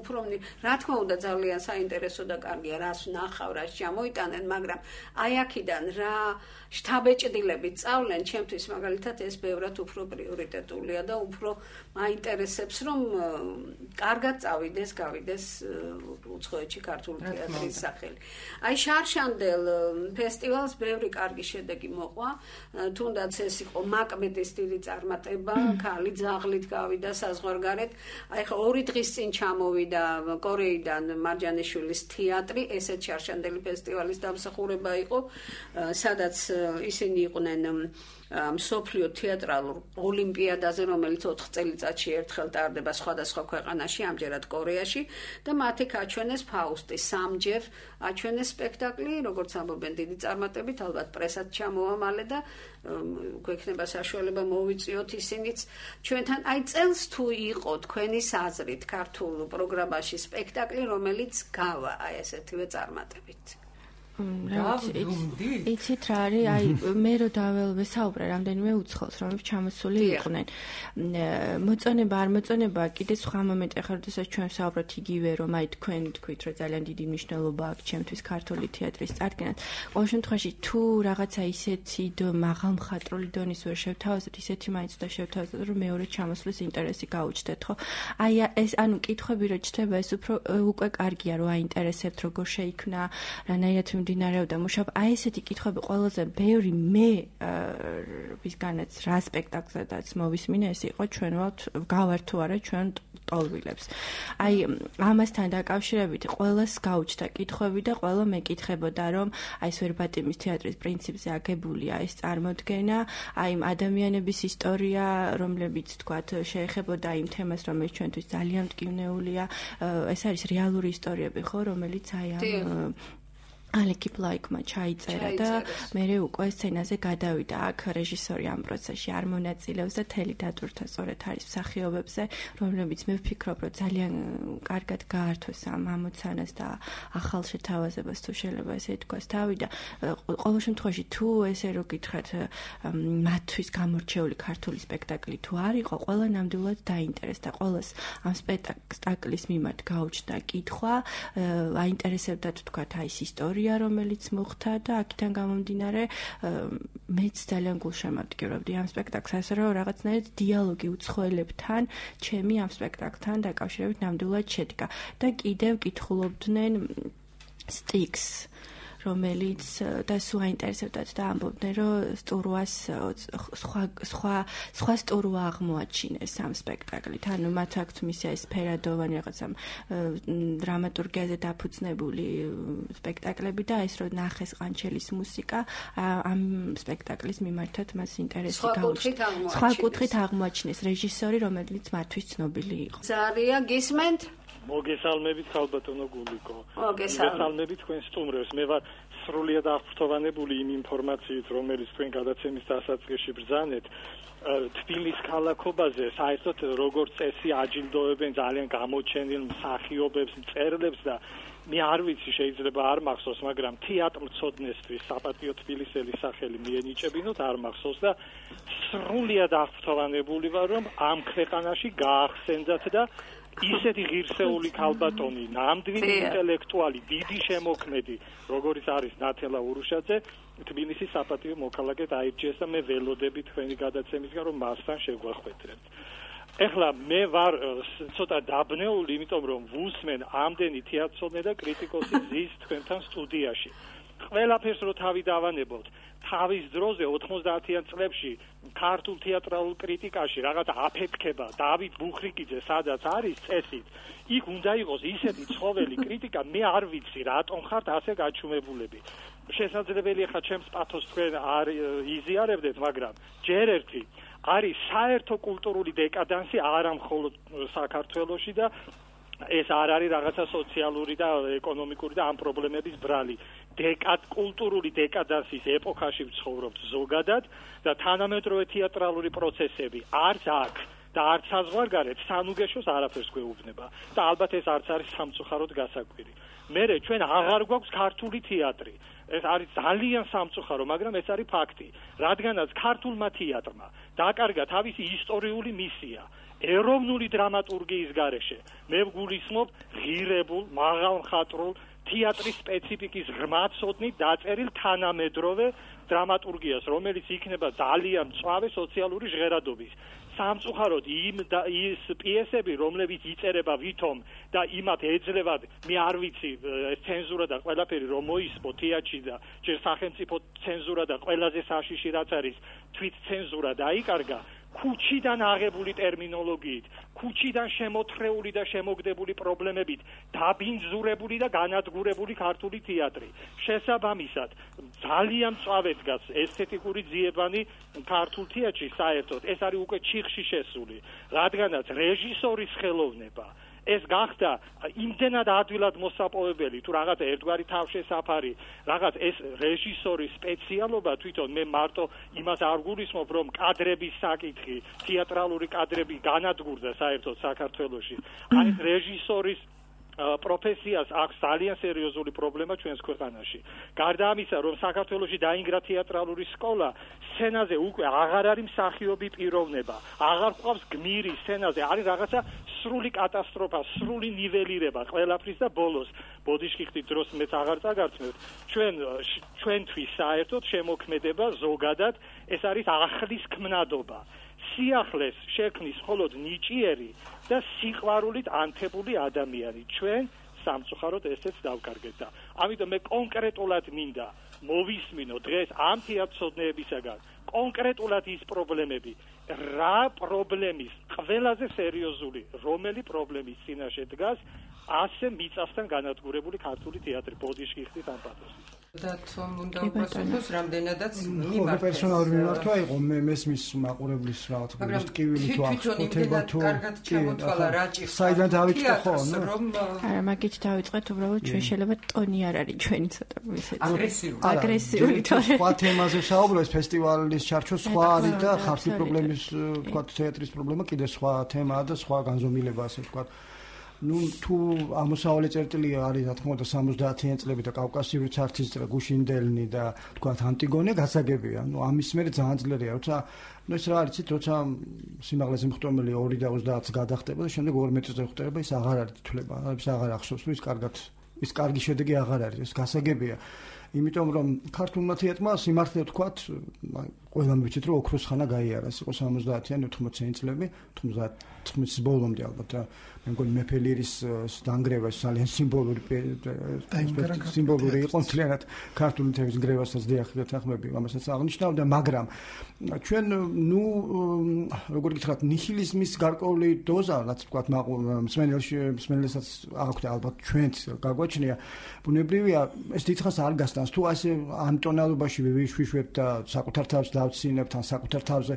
Speaker 2: უფრო რა თქმა უნდა ძალიან საინტერესო და კარგია რას ვნახავ, რას ჩამოიტანენ, მაგრამ აი აქედან რა შთაბეჭდილებით სწავლენ, ჩემთვის მაგალითად ეს ბევრად უფრო პრიორიტეტულია და უფრო მაინტერესებს რომ კარგად წავიდეს, გავიდეს უცხოეთში ქართული თეატრის სახელი. აი შარშანდელ ფესტივალს ბევრი კარგი შედეგი მოყვა, თუნდაც ეს იყო მაკ მეტის დიდი წარმატება, ქალი ძაღლით გავიდა საზღვარგარეთ. აი ხო ორი დღის წინ ჩამოვიდა კორეიდან მარჯანიშვილის თეატრი, ესეც შარშანდელი ფესტივალის დამსახურება იყო, სადაც ისინი იყვნენ მსოფლიო თეატრალურ ოლიმპიადაზე, რომელიც ოთხ წელიწადში ერთხელ ტარდება სხვადასხვა ქვეყანაში, ამჯერად კორეაში და მათი აჩვენეს ფაუსტი სამჯერ აჩვენეს სპექტაკლი, როგორც ამბობენ დიდი წარმატებით, ალბათ პრესაც ჩამოვა მალე და გვექნება საშუალება მოვიწიოთ ისინიც ჩვენთან. აი წელს თუ იყო თქვენი აზრით ქართულ პროგრამაში სპექტაკლი, რომელიც გავა აი ესეთივე წარმატებით.
Speaker 4: იცით რა არის, აი მე რო დავესაუბრე რამდენიმე უცხოელს, რომლებიც ჩამოსული იყვნენ. მოწონება არ მოწონება, კიდე სხვა მომენტი ახლა როდესაც ჩვენ ვსაუბრობთ იგივე რომ აი თქვენ თქვით რომ ძალიან დიდი მნიშვნელობა აქვს ჩემთვის ქართული თეატრის წარდგენას. ყოველ შემთხვევაში თუ რაღაცა ისეთი მაღალ მხატვრული დონის ვერ შევთავაზოთ, ისეთი მაინც და შევთავაზოთ რომ მეორე ჩამოსვლის ინტერესი გაუჩნდეთ, ხო? აი ეს ანუ კითხვები რო ჩდება, ეს უფრო უკვე კარგია რომ აინტერესებთ როგორ შეიქმნა, რანაირად მიმდინარეობდა მუშაობა. აი ესეთი კითხვები ყველაზე ბევრი მე ვისგანაც რა სპექტაკლზედაც მოვისმინე, ეს იყო ჩვენ ვალთ გავართ თუ არა ჩვენ ტოლვილებს. აი ამასთან დაკავშირებით ყველას გაუჩნდა კითხვები და ყველა მეკითხებოდა, რომ აი ეს ვერბატიმის თეატრის პრინციპზე აგებულია ეს წარმოდგენა, აი ადამიანების ისტორია, რომლებიც თქვათ შეეხებოდა იმ თემას, რომელიც ჩვენთვის ძალიან მტკივნეულია, ეს არის რეალური ისტორიები, ხო, რომელიც აი ამ ალეკი პლაიკმა ჩაიწერა და მე უკვე სცენაზე გადავიდა. აქ რეჟისორი ამ პროცესში არ მონაწილეობს და თელი დატვირთვა სწორედ არის მსახიობებზე, რომლებიც მე ვფიქრობ, რომ ძალიან კარგად გაართვეს ამ ამოცანას და ახალ შეთავაზებას თუ შეიძლება ესე ითქვას თავი და ყოველ შემთხვევაში თუ ესე რო გითხრათ მათთვის გამორჩეული ქართული სპექტაკლი თუ არ იყო, ყველა ნამდვილად დაინტერესდა. ყველას ამ სპექტაკლის მიმართ გაუჩნდა კითხვა, აინტერესებდათ თქვათ აი ეს ისტორია რომელიც მოხდა და აქედან გამომდინარე მეც ძალიან გულშემატკივრობდი ამ სპექტაკლს, ასე რომ რაღაცნაირად დიალოგი უცხოელებთან ჩემი ამ სპექტაკლთან დაკავშირებით ნამდვილად შედგა და კიდევ კითხულობდნენ სტიქს, რომელიც და სულ აინტერესებდათ და ამბობდნენ, რომ სტურვას სხვა სხვა სხვა სტურვა აღმოაჩინეს ამ სპექტაკლით. ანუ მათ აქვთ მისი ეს ფერადოვანი რაღაცა დრამატურგიაზე დაფუძნებული სპექტაკლები და ეს რომ ნახეს ყანჩელის მუსიკა ამ სპექტაკლის მიმართად მას ინტერესი გაუჩნდა. სხვა კუთხით აღმოაჩინეს რეჟისორი, რომელიც მათთვის ცნობილი იყო.
Speaker 2: ზარია გისმენთ?
Speaker 6: მოგესალმებით ხალბატონო გულიკო. მოგესალმებით თქვენ სტუმრებს. მე ვარ სრულიად აღფრთოვანებული იმ ინფორმაციით, რომელიც თქვენ გადაცემის დასაწყისში ბრძანეთ. თბილის ქალაქობაზე საერთოდ როგორც წესი აჯილდოებენ ძალიან გამოჩენილ მსახიობებს, მწერლებს და მე არ ვიცი, შეიძლება არ მახსოვს, მაგრამ თეატრმცოდნესთვის საპატიო თბილისელი სახელი მიენიჭებინოთ, არ მახსოვს და სრულიად აღფრთოვანებული ვარ, რომ ამ ქვეყანაში გაახსენდათ და ისეთი ღირსეული ქალბატონი, ნამდვილი ინტელექტუალი, დიდი შემოქმედი, როგორიც არის ნათელა ურუშაძე, თბილისის საპატიო მოქალაქედ აირჩიეს და მე ველოდები თქვენი გადაცემისგან, რომ მასთან შეგვახვედრებთ. ეხლა მე ვარ ცოტა დაბნეული, იმიტომ რომ ვუსმენ ამდენი თეატრსმენი და კრიტიკოსი ზის თქვენთან სტუდიაში. ყველაფერს რო თავი დავანებოთ, თავის დროზე ოთხმოცდაათიან წლებში ქართულ თეატრალურ კრიტიკაში რაღაც აფეთქება დავით ბუხრიკიძე სადაც არის წესით, იქ უნდა იყოს ისეთი ცხოველი კრიტიკა, მე არ ვიცი რატომ ხართ ასე გაჩუმებულები. შესაძლებელია ხა ჩემს პათოს თქვენ არ იზიარებდეთ, მაგრამ ჯერ ერთი არის საერთო კულტურული დეკადანსი არა მხოლოდ საქართველოში და ეს არ არის რაღაცა სოციალური და ეკონომიკური და ამ პრობლემების ბრალი. დეკად კულტურული დეკადანსის ეპოქაში ვცხოვრობთ ზოგადად და თანამედროვე თეატრალური პროცესები არც აქ და არც საზღვარგარეთ სანუგეშოს არაფერს გვეუბნება და ალბათ ეს არც არის სამწუხაროდ გასაკვირი. მერე ჩვენ აღარ გვაქვს ქართული თეატრი. ეს არის ძალიან სამწუხარო, მაგრამ ეს არის ფაქტი. რადგანაც ქართულმა თეატრმა დაკარგა თავისი ისტორიული მისია ეროვნული დრამატურგიის გარეშე. მე ვგულისხმობ ღირებულ, მაღალმხატვრულ თეატრის სპეციფიკის ღრმაცოდნით დაწერილ თანამედროვე დრამატურგიას, რომელიც იქნება ძალიან მწვავე სოციალური ჟღერადობის. სამწუხაროდ იმ ის პიესები, რომლებიც იწერება ვითომ და იმათ ეძლევათ, მე არ ვიცი, ცენზურა და ყველაფერი რომ მოისმო თეატრში და ჯერ სახელმწიფო ცენზურა და ყველაზე საშიში რაც არის თვით ცენზურა დაიკარგა. ქუჩიდან აღებული ტერმინოლოგიით, ქუჩიდან შემოთხრეული და შემოგდებული პრობლემებით დაბინძურებული და განადგურებული ქართული თეატრი. შესაბამისად, ძალიან მწვავედ დგას ესთეტიკური ძიებანი ქართულ თეატრში საერთოდ. ეს არის უკვე ჩიხში შესული, რადგანაც რეჟისორის ხელოვნება ეს გახდა იმდენად ადვილად მოსაპოვებელი, თუ რაღაც ერთგვარი თავშესაფარი, რაღაც ეს რეჟისორის სპეციალობა თვითონ მე მარტო იმას არ გულისხმობ, რომ კადრების საკითხი, თეატრალური კადრები განადგურდა საერთოდ საქართველოში. აი ეს რეჟისორის პროფესიას აქვს ძალიან სერიოზული პრობლემა ჩვენს ქვეყანაში. გარდა ამისა, რომ საქართველოში დაინგრა თეატრალური სკოლა, სცენაზე უკვე აღარ არის მსახიობი პიროვნება, აღარ ყავს გმირი სცენაზე, არის რაღაცა სრული კატასტროფა, სრული ნიველირება ყველაფრის და ბოლოს ბოდიშკიხტის დროს მეც აღარ წაგარწმევთ. ჩვენ ჩვენთვის საერთოდ შემოქმედება ზოგადად ეს არის ახლის ქმნადობა. სიახლეს შექმნის მხოლოდ ნიჭიერი და სიყვარულით ანთებული ადამიანი. ჩვენ სამწუხაროდ ესეც დავკარგეთ და ამიტომ მე კონკრეტულად მინდა მოვისმინო დღეს ამ თეატრცოდნეებისაგან კონკრეტულად ის პრობლემები, რა პრობლემის ყველაზე სერიოზული, რომელი პრობლემის წინაშე დგას, ასე მიწასთან განადგურებული ქართული თეატრი ბოდიში ხდით ამ პათოსის.
Speaker 3: და თომ უნდა უპასუხოს რამდენადაც
Speaker 5: მიმართეს. პერსონალური მიმართვა იყო მე მესმის მაყურებლის რაღაც ტკივილი თუ აღწოდება თუ
Speaker 3: კარგად ჩამოთვალა რაჭი.
Speaker 5: საიდან დავიწყო ხო?
Speaker 4: არა, მაგით დავიწყეთ, უბრალოდ ჩვენ შეიძლება ტონი არ არის ჩვენი ცოტა ისეთი.
Speaker 3: აგრესიული.
Speaker 4: აგრესიული თორე.
Speaker 5: სხვა თემაზე საუბრობს ფესტივალის ჩარჩო სხვა არის და ხალხის პრობლემის თქვა თეატრის პრობლემა კიდე სხვა თემაა და სხვა განზომილება ასე თქვა. ну თუ ამოსავალი წერტილი არის რა თქმა უნდა სამოცდაათიან წლები და კავკასიური ცარცისტრა გუშინდელნი და თქვა ანტიგონე გასაგებია. ну ამის მერე ძალიან ძლიერია, როცა ну ეს რა არის იცით, როცა სიმაღლეზე მხტომელი ორი და ოცდაათს გადახტება და შემდეგ ორ მეტრზე ხდება, ის აღარ არის თვლება, ის აღარ ახსოვს, ის კარგად ის კარგი შედეგი აღარ არის, ეს გასაგებია. იმიტომ რომ ქართულმა თეატრმა სიმართლე ვთქვათ, ყველამ ვიცით რომ ოქროს ხანა გაიარა, ის იყო სამოცდაათიან ოთხმოციანი წლები, თხმოცის ბოლომდე ალბათ და მე მგონი მეფელირის დანგრევა ძალიან სიმბოლური სიმბოლური იყო მთლიანად ქართული თეატრის გრევასაც დიახდეთ ახმები, ამასაც აღნიშნავდა, მაგრამ ჩვენ ნუ როგორ გითხრათ, ნიჰილიზმის გარკვეული დოზა, რაც ვთქვათ, მსმენელში მსმენელსაც აქვთ ალბათ ჩვენც გაგვაჩნია, ბუნებრივია ეს დიდხანს არ გასტანს, თუ ასე ამ ტონალობაში ვიშვიშვებთ და საკუთარ თავს დავცინებთ ან საკუთარ თავზე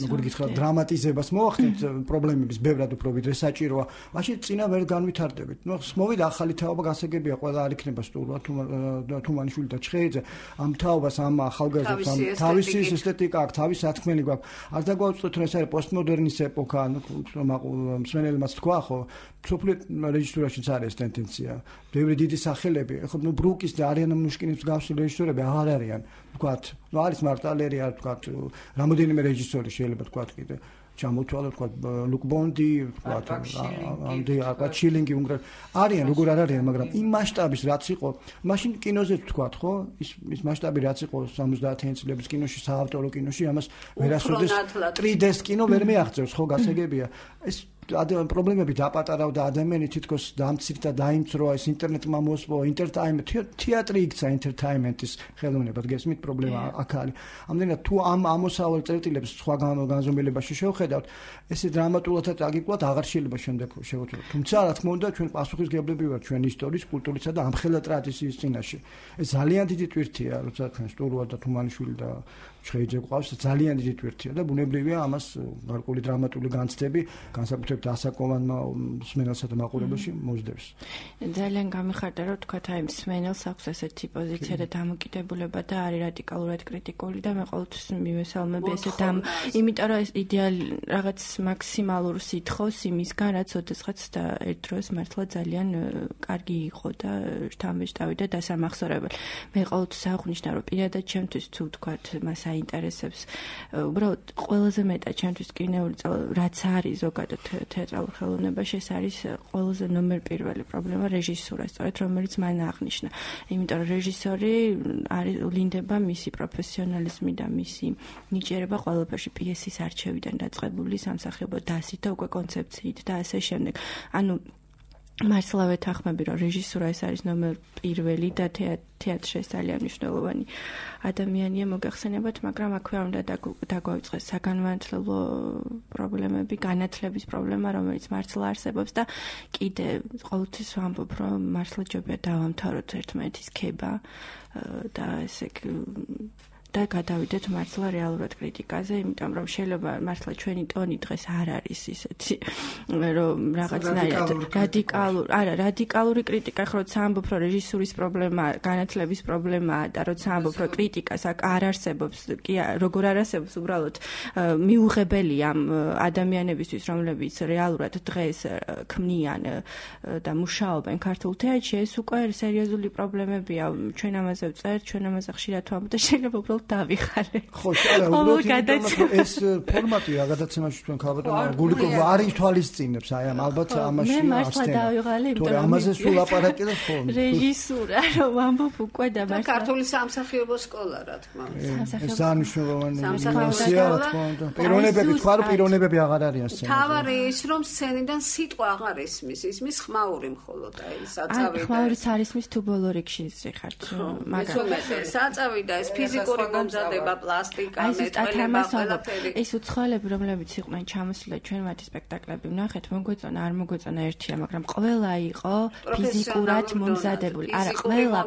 Speaker 5: როგორ გითხრათ დრამატიზებას მოახდენთ პრობლემების ბევრად უფრო ვიდრე საჭიროა, მაშინ წინა ვერ განვითარდებით. ნუ მოვიდა ახალი თაობა, გასაგებია, ყველა არ იქნება სტუმრად, თუმანიშვილი და ჩხეიძე, ამ თაობას, ამ ახალგაზრდებს, ამ თავისი ესთეტიკა აქვს, თავისი სათქმელი გვაქვს. არ დაგვაუწყოთ, რომ ეს არის პოსტმოდერნის ეპოქა, ანუ მსმენელმაც თქვა, ხო, სოფლიო რეჟისურაშიც არის ეს ტენდენცია. ბევრი დიდი სახელები, ხო, ნუ ბრუკის და არიანა მნუშკინის მსგავსი რეჟისორები აღარ არიან, ვთქვათ. ნუ არის მარტალერი, არ ვთქვათ, რამოდენიმე რეჟისორი შეიძლება თქვათ კიდე. ჩამოთვალა თქვა ლუკ ბონდი, თქვა ამდე აკა ჩილინგი უნგრეთ არიან, როგორ არ არიან, მაგრამ იმ მასშტაბის რაც იყო, მაშინ კინოზე თქვა, ხო? ის ის მასშტაბი რაც იყო სამოცდაათიან წლების კინოში, საავტორო კინოში, ამას ვერასოდეს три დე-ს კინო ვერ მეაღწევს, ხო, გასაგებია. ეს ადემ პრობლემები დაპატარავდა ადამიანი თითქოს დამცირდა, დაიმცროა, ეს ინტერნეტმა მოსპო, ინტერტაიმენტ, თეატრი იქცა ინტერტაიმენტის ხელოვნებად, გესმით, პრობლემა აქ არის. ამდენად თუ ამ ამოსავალ წერტილებს სხვა განზომილებაში შევხედავთ, ესე დრამატულადაც აგიკვათ აღარ შეიძლება შემდეგ შევუწევთ. თუმცა რა თქმა უნდა, ჩვენ პასუხისმგებლები ვართ ჩვენ ისტორიის, კულტურისა და ამხელა ტრადიციის წინაშე. ეს ძალიან დიდი ტვირთია, როცა ჩვენ სტურუა და თუმანიშვილი და ჩხეიძე ყავს, ძალიან დიდი ტვირთია და ბუნებრივია ამას გარკვეული დრამატული განცდები განსაკუთრებით ასაკოვანმა მსმენელსა და მაყურებელში მოსდევს.
Speaker 4: ძალიან გამიხარდა, რომ თქვათ აი მსმენელს აქვს ესეთი პოზიცია და დამოკიდებულება და არის რადიკალურად კრიტიკული და მე ყოველთვის მივესალმები ესეთ ამ, იმიტომ რომ ეს იდეალი რაღაც მაქსიმალურ სითხოვს იმისგან, რაც ოდესღაც და ერთ დროს მართლა ძალიან კარგი იყო და შთამბეჭდავი და დასამახსოვრებელი. მე ყოველთვის აღვნიშნა, რომ პირადად ჩემთვის თუ თქვათ მას აინტერესებს, უბრალოდ ყველაზე მეტად ჩემთვის კინეული რაც არის ზოგადად თეატრალურ ხელოვნებაში, ეს არის ყველაზე ნომერ პირველი პრობლემა რეჟისურა, სწორედ რომელიც მან აღნიშნა. იმიტომ რომ რეჟისორი არის ვლინდება მისი პროფესიონალიზმი და მისი ნიჭიერება ყველაფერში, პიესის არჩევიდან დაწყებული სამსახიობო დასით და უკვე კონცეფციით და ასე შემდეგ. ანუ მართლა ვეთანხმები, რომ რეჟისურა ეს არის ნომერ პირველი და თეატრში ეს ძალიან მნიშვნელოვანი ადამიანია მოგახსენებათ, მაგრამ აქვე უნდა დაგვაუწყეს საგანმანათლებლო პრობლემები, განათლების პრობლემა, რომელიც მართლა არსებობს და კიდე ყოველთვის ვამბობ, რომ მართლა ჯობია დავამთავროთ ერთმანეთის ქება და ესე და გადავიდეთ მართლა რეალურად კრიტიკაზე, იმიტომ რომ შეიძლება მართლა ჩვენი ტონი დღეს არ არის ისეთი, რომ რაღაცნაირად რადიკალური, არა, რადიკალური კრიტიკა, ხო, როცა ამბობ, რომ რეჟისურის პრობლემა, განათლების პრობლემაა და როცა ამბობ, რომ კრიტიკას არ არსებობს, კი როგორ არ არსებობს, უბრალოდ მიუღებელია ამ ადამიანებისთვის, რომლებიც რეალურად დღეს ქმნიან და მუშაობენ ქართულ თეატრში, ეს უკვე სერიოზული პრობლემებია. ჩვენ ამაზე ვწერთ, ჩვენ ამაზე ხშირად ვამბობთ და შეიძლება უბრალოდ დავიხარე.
Speaker 5: ხო, არა, უბრალოდ ეს ფორმატი რა გადაცემაში თქვენ ქალბატონო გულიკოვი არ ითვალისწინებს, აი ამ ალბათ ამაში
Speaker 4: მე მართლა დავიღალე,
Speaker 5: იმიტომ რომ ამაზე სულ აპარატი და ხო.
Speaker 4: რეჟისურა რომ ამბობ უკვე და
Speaker 2: მართლა ქართული სამსახიობო სკოლა რა თქმა უნდა.
Speaker 5: ეს სანიშნულოვანი ინფორმაცია რა თქმა უნდა. პიროვნებები თქვა რომ პიროვნებები აღარ არიან სცენაზე.
Speaker 2: თავარი ის რომ სცენიდან სიტყვა აღარ ისმის, ისმის ხმაური მხოლოდ აი საწავი.
Speaker 4: აი ხმაურიც არ ისმის თუ ბოლო რიგში ხართ.
Speaker 2: მაგრამ საწავი და ეს ფიზიკური მომზადება, პლასტიკა, მეტყველება, ყველაფერი.
Speaker 4: ეს უცხოელები რომლებიც იყვნენ ჩამოსული ჩვენ მათი სპექტაკლები ვნახეთ, მოგვეწონა, არ მოგვეწონა ერთია, მაგრამ ყველა იყო ფიზიკურად მომზადებული. არა, ყველა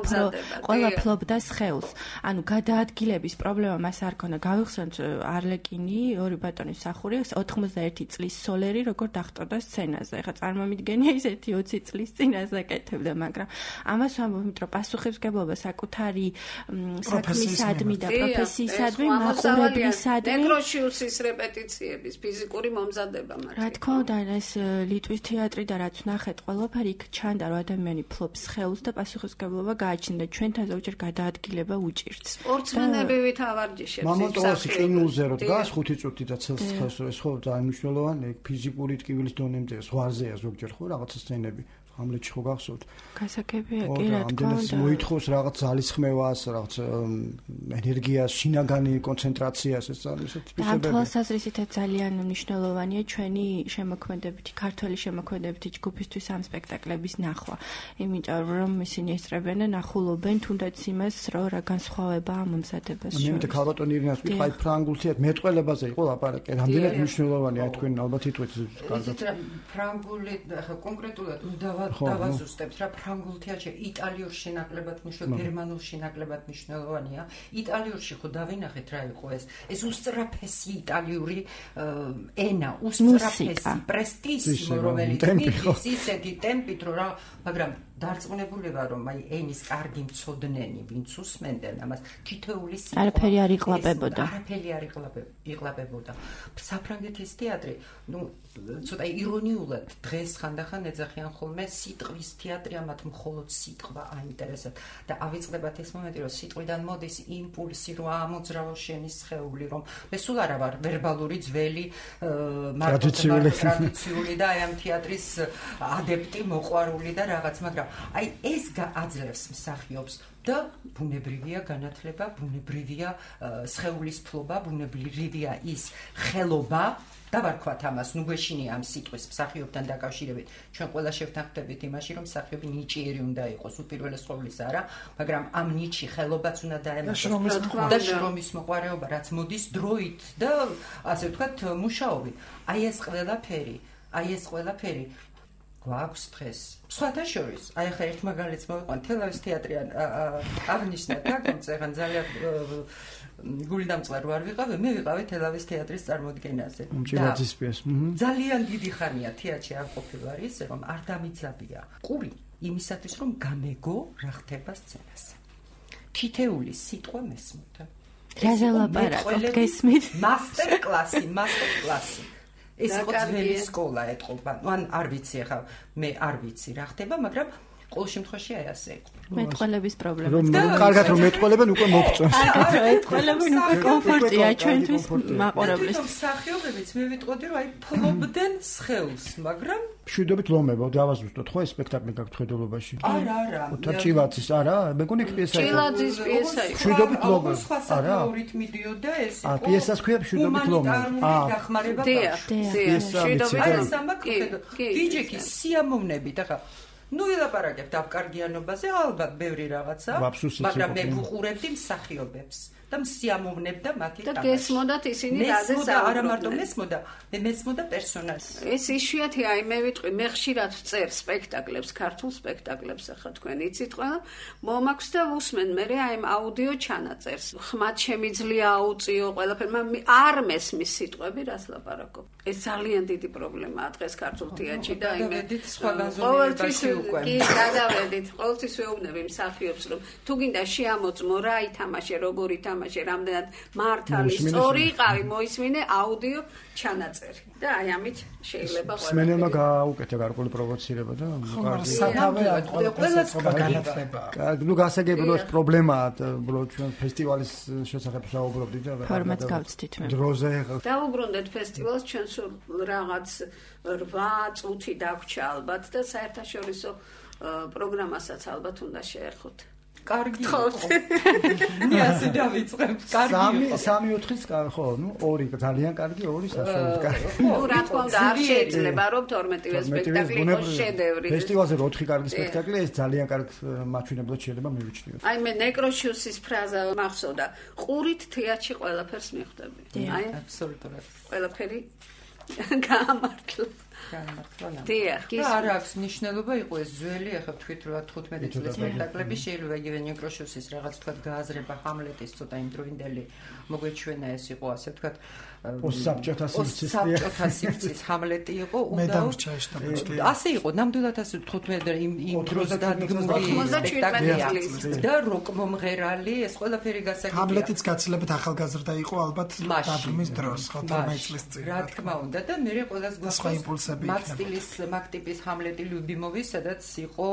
Speaker 4: ყველა ფლობდა სხეულს. ანუ გადაადგილების პრობლემა მას არ ქონდა. გავიხსენოთ არლეკინი, ორი ბატონის მსახური, ოთხმოცდაერთი წლის სოლერი, როგორ დახტოვდა სცენაზე. ეხლა წარმომიდგენია ისეთი ოცი წლის წინ აზაკეთებდა, მაგრამ ამას ვამბობ, რომ პასუხისმგებლობა საკუთარი საქმისადმი და პროფესიისადმი, მაყურებლისადმი,
Speaker 2: ნეკროშიუსის რეპეტიციების ფიზიკური მომზადება მართლა.
Speaker 4: რა თქმა უნდა, ეს ლიტვის თეატრი და რაც ვნახეთ, ყველაფერი იქ ჩანდა, რომ ადამიანი ფლობს სხეულს და პასუხისმგებლობა გააჩნდა. ჩვენთან ზოგჯერ გადაადგილება უჭირთ.
Speaker 2: სპორტსმენები ვითავარჯიშებს.
Speaker 5: მამონტოვასი ყინულზე რო დგას ხუთი წუთი და ცელს ხეს ეს ხო დანიშნულოვანი ფიზიკური ტკივილის დონემდე ზღვარზეა ზოგჯერ ხო რაღაცა სცენები. ამლეთში ხო გახსოვთ?
Speaker 4: გასაგებია კი რა თქმა უნდა.
Speaker 5: მოითხოვს რაღაც ძალისხმევას, რაღაც ენერგიას, შინაგანი კონცენტრაციას, ეს ისეთი
Speaker 4: ფისებები. ამ თვალსაზრისითაც ძალიან მნიშვნელოვანია ჩვენი შემოქმედებითი, ქართველი შემოქმედებითი ჯგუფისთვის ამ სპექტაკლების ნახვა. იმიტომ რომ ისინი ესწრებენ და ნახულობენ თუნდაც იმას, რომ რა განსხვავებაა მომზადებას შორის.
Speaker 5: მე ქალბატონ ირინას ვიტყვი, აი ფრანგულ თეატრ მეტყველებაზე იყო ლაპარაკი. რამდენად მნიშვნელოვანია თქვენ ალბათ იტყვით კარგად.
Speaker 3: ფრანგული ხა კონკრეტულად უნდა დავაზუსტებთ რა ფრანგულ თეატრში იტალიურ შენაკლებად მნიშვნელოვანია, გერმანულ შენაკლებად მნიშვნელოვანია. იტალიურში ხო დავინახეთ რა იყო ეს. ეს უსწრაფესი იტალიური ენა, უსწრაფესი პრესტისიმო, რომელიც მიწის ისეთი ტემპით რომ რა, მაგრამ დარწმუნებულება რომ აი ენის კარგი მცოდნენი, ვინც უსმენდნენ ამას, თითოეული სიტყვა
Speaker 4: არაფერი არ იყლაბებოდა.
Speaker 3: არაფერი არ იყლაბებოდა. საფრანგეთის თეატრი, ну, ცოტა ირონიულად დღეს ხანდახან ეძახიან ხოლმე სიტყვის თეატრია, მათ მხოლოდ სიტყვა აინტერესებთ და ავიწყდებათ ეს მომენტი, რომ სიტყვიდან მოდის იმპულსი, რომ ამოძრავო შენი სხეული, რომ მე სულ არა ვარ ვერბალური ძველი ტრადიციული და აი ამ თეატრის ადეპტი, მოყვარული და რაღაც, მაგრამ აი ეს გააძლევს მსახიობს და ბუნებრივია განათლება, ბუნებრივია სხეულის ფლობა, ბუნებრივია ის ხელობა და ვარქვათ ამას, ნუ გვეშინია ამ სიტყვის მსახიობთან დაკავშირებით. ჩვენ ყველა შევთანხმდებით იმაში, რომ მსახიობი ნიჭიერი უნდა იყოს, უპირველეს ყოვლისა არა, მაგრამ ამ ნიჭი ხელობაც უნდა დაემატოს და შრომის მოყვარეობა, რაც მოდის დროით და ასე ვთქვათ, მუშაობით. აი ეს ყველაფერი, აი ეს ყველაფერი გვაქვს დღეს. სხვათა შორის, აი ხა ერთ მაგალითს მოვიყვან, თელავის თეატრი აღნიშნა თაგონც, ეხან ძალიან გულდამწყარ ვარ ვიყავი, მე ვიყავი თელავის თეატრის წარმოდგენაზე.
Speaker 5: მჭირაძისპიეს.
Speaker 3: ძალიან დიდი ხანია თეატრში არ ყოფილვარ ისე, რომ არ დამიძაბია ყური იმისათვის, რომ გამეგო რა ხდება სცენაზე. თითეული სიტყვა მესმოდა.
Speaker 4: რაზე ლაპარაკობ გესმით?
Speaker 3: მასტერ კლასი, მასტერ კლასი. ეს იყო ძველი სკოლა ეთყობა. ან არ ვიცი ახლა, მე არ ვიცი რა ხდება, მაგრამ ყოველ შემთხვევაში აი ასე იყო.
Speaker 4: მეტყველების პრობლემა.
Speaker 5: რომ კარგად რომ მეტყველებენ უკვე მოგწონს.
Speaker 4: კარგად რომ მეტყველებენ უკვე კომფორტია ჩვენთვის მაყურებლის.
Speaker 3: მსახიობებიც მე ვიტყოდი რომ აი ფლობდნენ სხეულს, მაგრამ
Speaker 5: მშვიდობით ლომება, დავაზუსტოთ ხო ეს სპექტაკლი გაქვთ ხედულობაში?
Speaker 3: არა, არა.
Speaker 5: თაჭილაძის არა, მეგონი პიესა იყო.
Speaker 2: ჭილაძის პიესა იყო.
Speaker 5: მშვიდობით ლომება.
Speaker 3: არა. რით მიდიოდა ეს იყო.
Speaker 5: აა, პიესას ქვია მშვიდობით ლომება.
Speaker 3: აა, დახმარება
Speaker 2: ბავშვი.
Speaker 3: მშვიდობით ლომება. გიჯექი სიამოვნებით, ახლა ნუ ელაპარაკებთ ავკარგიანობაზე, ალბათ ბევრი რაღაცა, მაგრამ მე ვუყურებდი მსახიობებს და მსიამოვნებდა მათი
Speaker 2: თამაში. და გესმოდათ ისინი რაზე
Speaker 3: საუბრობდნენ. არა მარტო მესმოდა, მე მესმოდა პერსონაჟს.
Speaker 2: ეს იშვიათი, აი მე ვიტყვი, მე ხშირად ვწერ სპექტაკლებს, ქართულ სპექტაკლებს, ახლა თქვენ იცით ყველა, მომაქვს და ვუსმენ მე აი ამ აუდიო ჩანაწერს. ხმად შემიძლია აუწიო ყველაფერი, მაგრამ არ მესმის სიტყვები, რას ლაპარაკობ. ეს ძალიან დიდი პრობლემაა დღეს ქართულ თეატრში და აი მე
Speaker 3: სხვა განზომილებაში უკვე.
Speaker 2: კი, გადავედით, ყოველთვის ვეუბნები მსახიობს, რომ თუ გინდა შეამოწმო რა ითამაშე, როგორ ითამაშე თამაში რამდენად მართალი სწორი იყავი მოისმინე აუდიო ჩანაწერი და აი ამით შეიძლება ყველა
Speaker 5: სმენელმა გააუკეთა გარკვეული პროვოცირება და
Speaker 1: სათავე ყველას განათლება.
Speaker 5: ნუ გასაგებია პრობლემაა უბრალოდ ჩვენ ფესტივალის შესახებ საუბრობდით და
Speaker 4: ფორმატს გავცდით მე.
Speaker 5: დროზე
Speaker 2: დავუბრუნდეთ ფესტივალს ჩვენ სულ რაღაც რვა წუთი დაგვრჩა ალბათ და საერთაშორისო პროგრამასაც ალბათ უნდა შეერხოთ.
Speaker 3: კარგი იყო. მე ასე დავიწყებ. კარგი იყო.
Speaker 5: სამი ოთხის ხო, ნუ ორი ძალიან კარგი, ორი საშუალოდ კარგი.
Speaker 2: ხო, რა თქმა უნდა, არ შეიძლება რომ თორმეტივე სპექტაკლი იყოს შედევრი.
Speaker 5: ფესტივალზე ოთხი კარგი სპექტაკლია, ეს ძალიან კარგ მაჩვენებლად შეიძლება მივიჩნიოთ.
Speaker 2: აი მე ნეკროშიუსის ფრაზა მახსოვდა. ყურით თეატრში ყველაფერს მიხვდები.
Speaker 3: აი, აბსოლუტურად.
Speaker 2: ყველაფერი გაამართლა. დიახ,
Speaker 3: არ აქვს მნიშვნელობა იყო ეს ძველი, ახლა ვთქვით რა თხუთმეტი წლის სპექტაკლები შეიძლება იგივე ნეკროშიუსის რაღაც თქვა გააზრება ჰამლეტის ცოტა იმდროინდელი მოგვეჩვენა ეს იყო ასე თქვა
Speaker 5: ოსაბჭოთა სივრცის
Speaker 3: ოსაბჭოთა სივრცის ჰამლეტი იყო
Speaker 1: და
Speaker 3: ასე იყო ნამდვილად ასე თხუთმეტი იმ იმ დროს დადგმული სპექტაკლია და როკ მომღერალი ეს ყველაფერი გასაგებია
Speaker 1: ჰამლეტიც გაცილებით ახალგაზრდა იყო ალბათ დადგმის დროს ხო თორმეტი წლის წინ
Speaker 3: რა თქმა უნდა და მე ყველას გვაქვს მაგ სტილის მაგ ტიპის ჰამლეტი ლიუბიმოვის სადაც იყო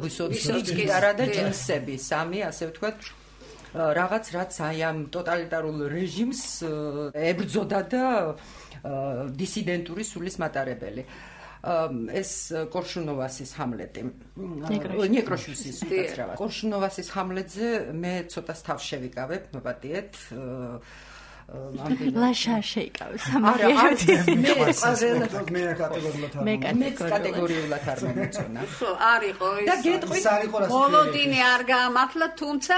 Speaker 3: ვისოცკი არა და ჯინსები სამი ასე ვთქვათ რაღაც რაც აი ამ ტოტალიტარულ რეჟიმს ებრძოდა და დისიდენტური სულის მატარებელი ეს კორშუნოვასის ჰამლეტი ნეკროშიუსის რა კორშუნოვასის ჰამლეტზე მე ცოტა სთავ შევიკავებ მოპატიეთ
Speaker 4: ლაშა შეიკავე
Speaker 3: სამაგერდი მე
Speaker 5: მე კატეგორიულად
Speaker 3: მე კატეგორიულად არ მომწონა
Speaker 2: ხო არისო ეს და გეტყვით ბოლოდინი არ გაამართლა თუმცა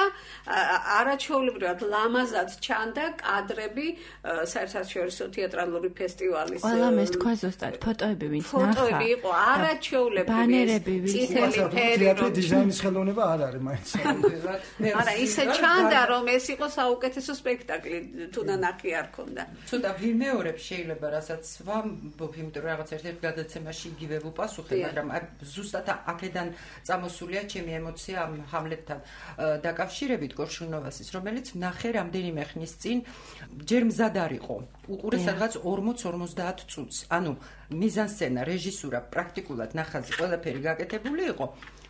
Speaker 2: არაჩვეულებრივად ლამაზად ჩანდა კადრები საერთაშორისო თეატრალური ფესტივალის
Speaker 4: ყველა მე თქვა ზუსტად ფოტოები ვინც ნახა
Speaker 2: ფოტოები იყო არაჩვეულებრივი
Speaker 4: ბანერები
Speaker 2: წითელი ფერი
Speaker 5: თეატრის დიზაინის ხელოვნება არ არის მაინც
Speaker 2: არა ისე ჩანდა რომ ეს იყო საუკეთესო სპექტაკლი თუნდაც ნახი არ ქონდა.
Speaker 3: ცოტა ვიმეორებ შეიძლება რასაც ვამბობ, იმიტომ რომ რაღაც ერთ-ერთ გადაცემაში იგივე ვუპასუხე, მაგრამ ზუსტად აქედან წამოსულია ჩემი ემოცია ამ ჰამლეტთან დაკავშირებით კორშუნოვასის, რომელიც ნახე რამდენიმე ხნის წინ ჯერ მზად არ იყო. უყურე სადღაც ორმოც ორმოცდაათ წუთს. ანუ მიზანსცენა, რეჟისურა, პრაქტიკულად ნახაზი ყველაფერი გაკეთებული იყო.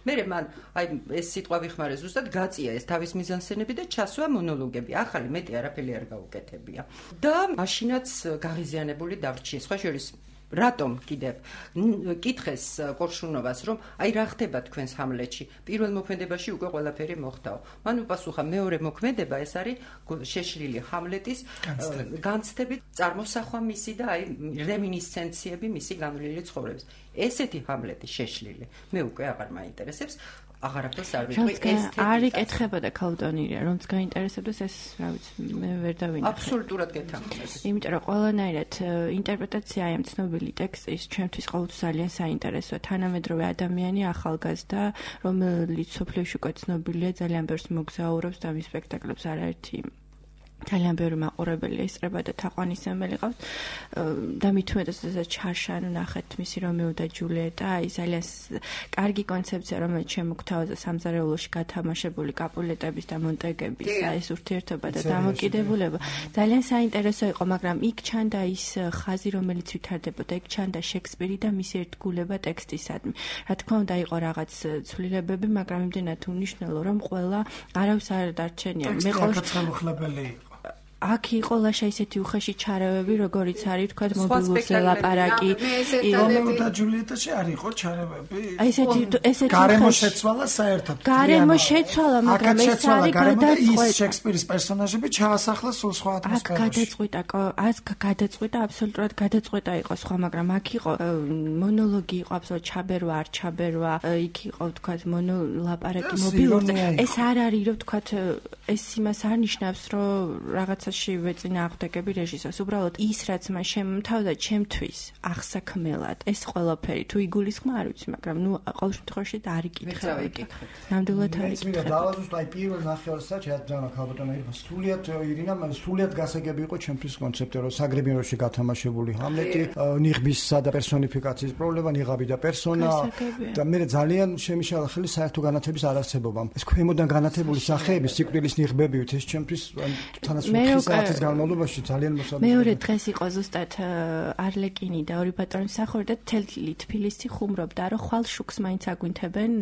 Speaker 3: მერე მან აი ეს სიტყვა ვიხმარე ზუსტად გაწია ეს თავის მიზანსცენები და ჩასვა მონოლოგები. ახალი მეტი არაფერი არ გაუკეთებია. და მაშინაც გაღიზიანებული დავრჩი. სხვა შორის რატომ კიდევ კითხეს კორშუნოვას რომ აი რა ხდება თქვენს ჰამლეტში? პირველ მოქმედებაში უკვე ყველაფერი მოხდაო. მან უპასუხა მეორე მოქმედება ეს არის შეშლილი ჰამლეტის განცდებით წარმოსახვა მისი და აი რემინისცენციები მისი განვლილი ცხოვრების. ესეთი ჰამლეტი შეშლილი. მე უკვე აღარ მაინტერესებს. აღარაფერს არ ვიტყვი ესთეტიკა.
Speaker 4: არ იკითხებოდა ქალდონირია, რომც გაინტერესებდეს ეს, რა ვიცი, მე ვერ დავინახე.
Speaker 3: აბსოლუტურად გეთანხმებს.
Speaker 4: იმიტომ რომ ყველანაირად ინტერპრეტაცია ამ ცნობილი ტექსტის ჩვენთვის ყოველთვის ძალიან საინტერესოა. თანამედროვე ადამიანი ახალგაზრდა, რომელიც სოფლიოში უკვე ცნობილია, ძალიან ბევრს მოგზაურობს და მის სპექტაკლებს არაერთი ძალიან ბევრი მაყურებელი ესწრება და თაყვანისმებელი ყავს და მით უმეტეს ეს ჩარშან ნახეთ მისი რომეო და ჯულიეტა აი ძალიან კარგი კონცეფცია რომელიც შემოგთავაზა სამზარეულოში გათამაშებული კაპულეტების და მონტეგების ეს ურთიერთობა და დამოკიდებულება ძალიან საინტერესო იყო მაგრამ იქ ჩანდა ის ხაზი რომელიც ვითარდებოდა იქ ჩანდა შექსპირი და მისი ერთგულება ტექსტისადმი რა თქმა უნდა იყო რაღაც ცვლილებები მაგრამ იმდენად უნიშნელო რომ ყველა არავის არ დარჩენია
Speaker 1: მე ყოველთვის
Speaker 4: აქ იყო ლაშა ისეთი უხეში ჩარევები, როგორიც არის, თქვა მობილურზე ლაპარაკი.
Speaker 1: რომეო და ჯულიეტაში არ იყო ჩარევები?
Speaker 4: ესეთი ესეთი
Speaker 1: გარემო შეცვალა საერთოდ.
Speaker 4: გარემო შეცვალა, მაგრამ ეს არის გადაწყვეტა.
Speaker 1: ის შექსპირის პერსონაჟები ჩაასახლა სულ სხვა ატმოსფეროში.
Speaker 4: აქ გადაწყვეტა, აქ გადაწყვეტა, აბსოლუტურად გადაწყვეტა იყო სხვა, მაგრამ აქ იყო მონოლოგი იყო აბსოლუტურად ჩაბერვა, არ ჩაბერვა, იქ იყო თქვა მონოლაპარაკი მობილურზე. ეს არ არის, რომ თქვა ეს იმას არ ნიშნავს, რომ რაღაცა ვეწინა აღდგები რეჟისორს. უბრალოდ ის რაც მან შემთავაზა ჩემთვის აღსაქმელად ეს ყველაფერი თუ იგულისხმა არ ვიცი, მაგრამ ნუ ყოველ შემთხვევაში არ იკითხები. ნამდვილად არ იკითხები.
Speaker 5: მე დავაზუსტ აი პირველ ნახევარსაც შეძანა ქალბატონი ირმა სრულიად ირინა სრულიად გასაგები იყო ჩემთვის კონცეფტი რომ საგრებინოში გათამაშებული ჰამლეტი, ნიღბისა და პერსონიფიკაციის პრობლემა, ნიღაბი და პერსონა და მე ძალიან შემიშალა ხელი საერთო განათების არარსებობამ. ეს ქვემოდან განათებული სახეები სიკვდილის იხბებივით ეს ჩემთვის თანაც ოთხი საათის განმავლობაში ძალიან მოსაწყობია.
Speaker 4: მეორე დღეს იყო ზუსტად არლეკინი და ორი ბატონი მსახური და თელი თბილისი ხუმრობდა, რომ ხვალ შუქს მაინც აგვინთებენ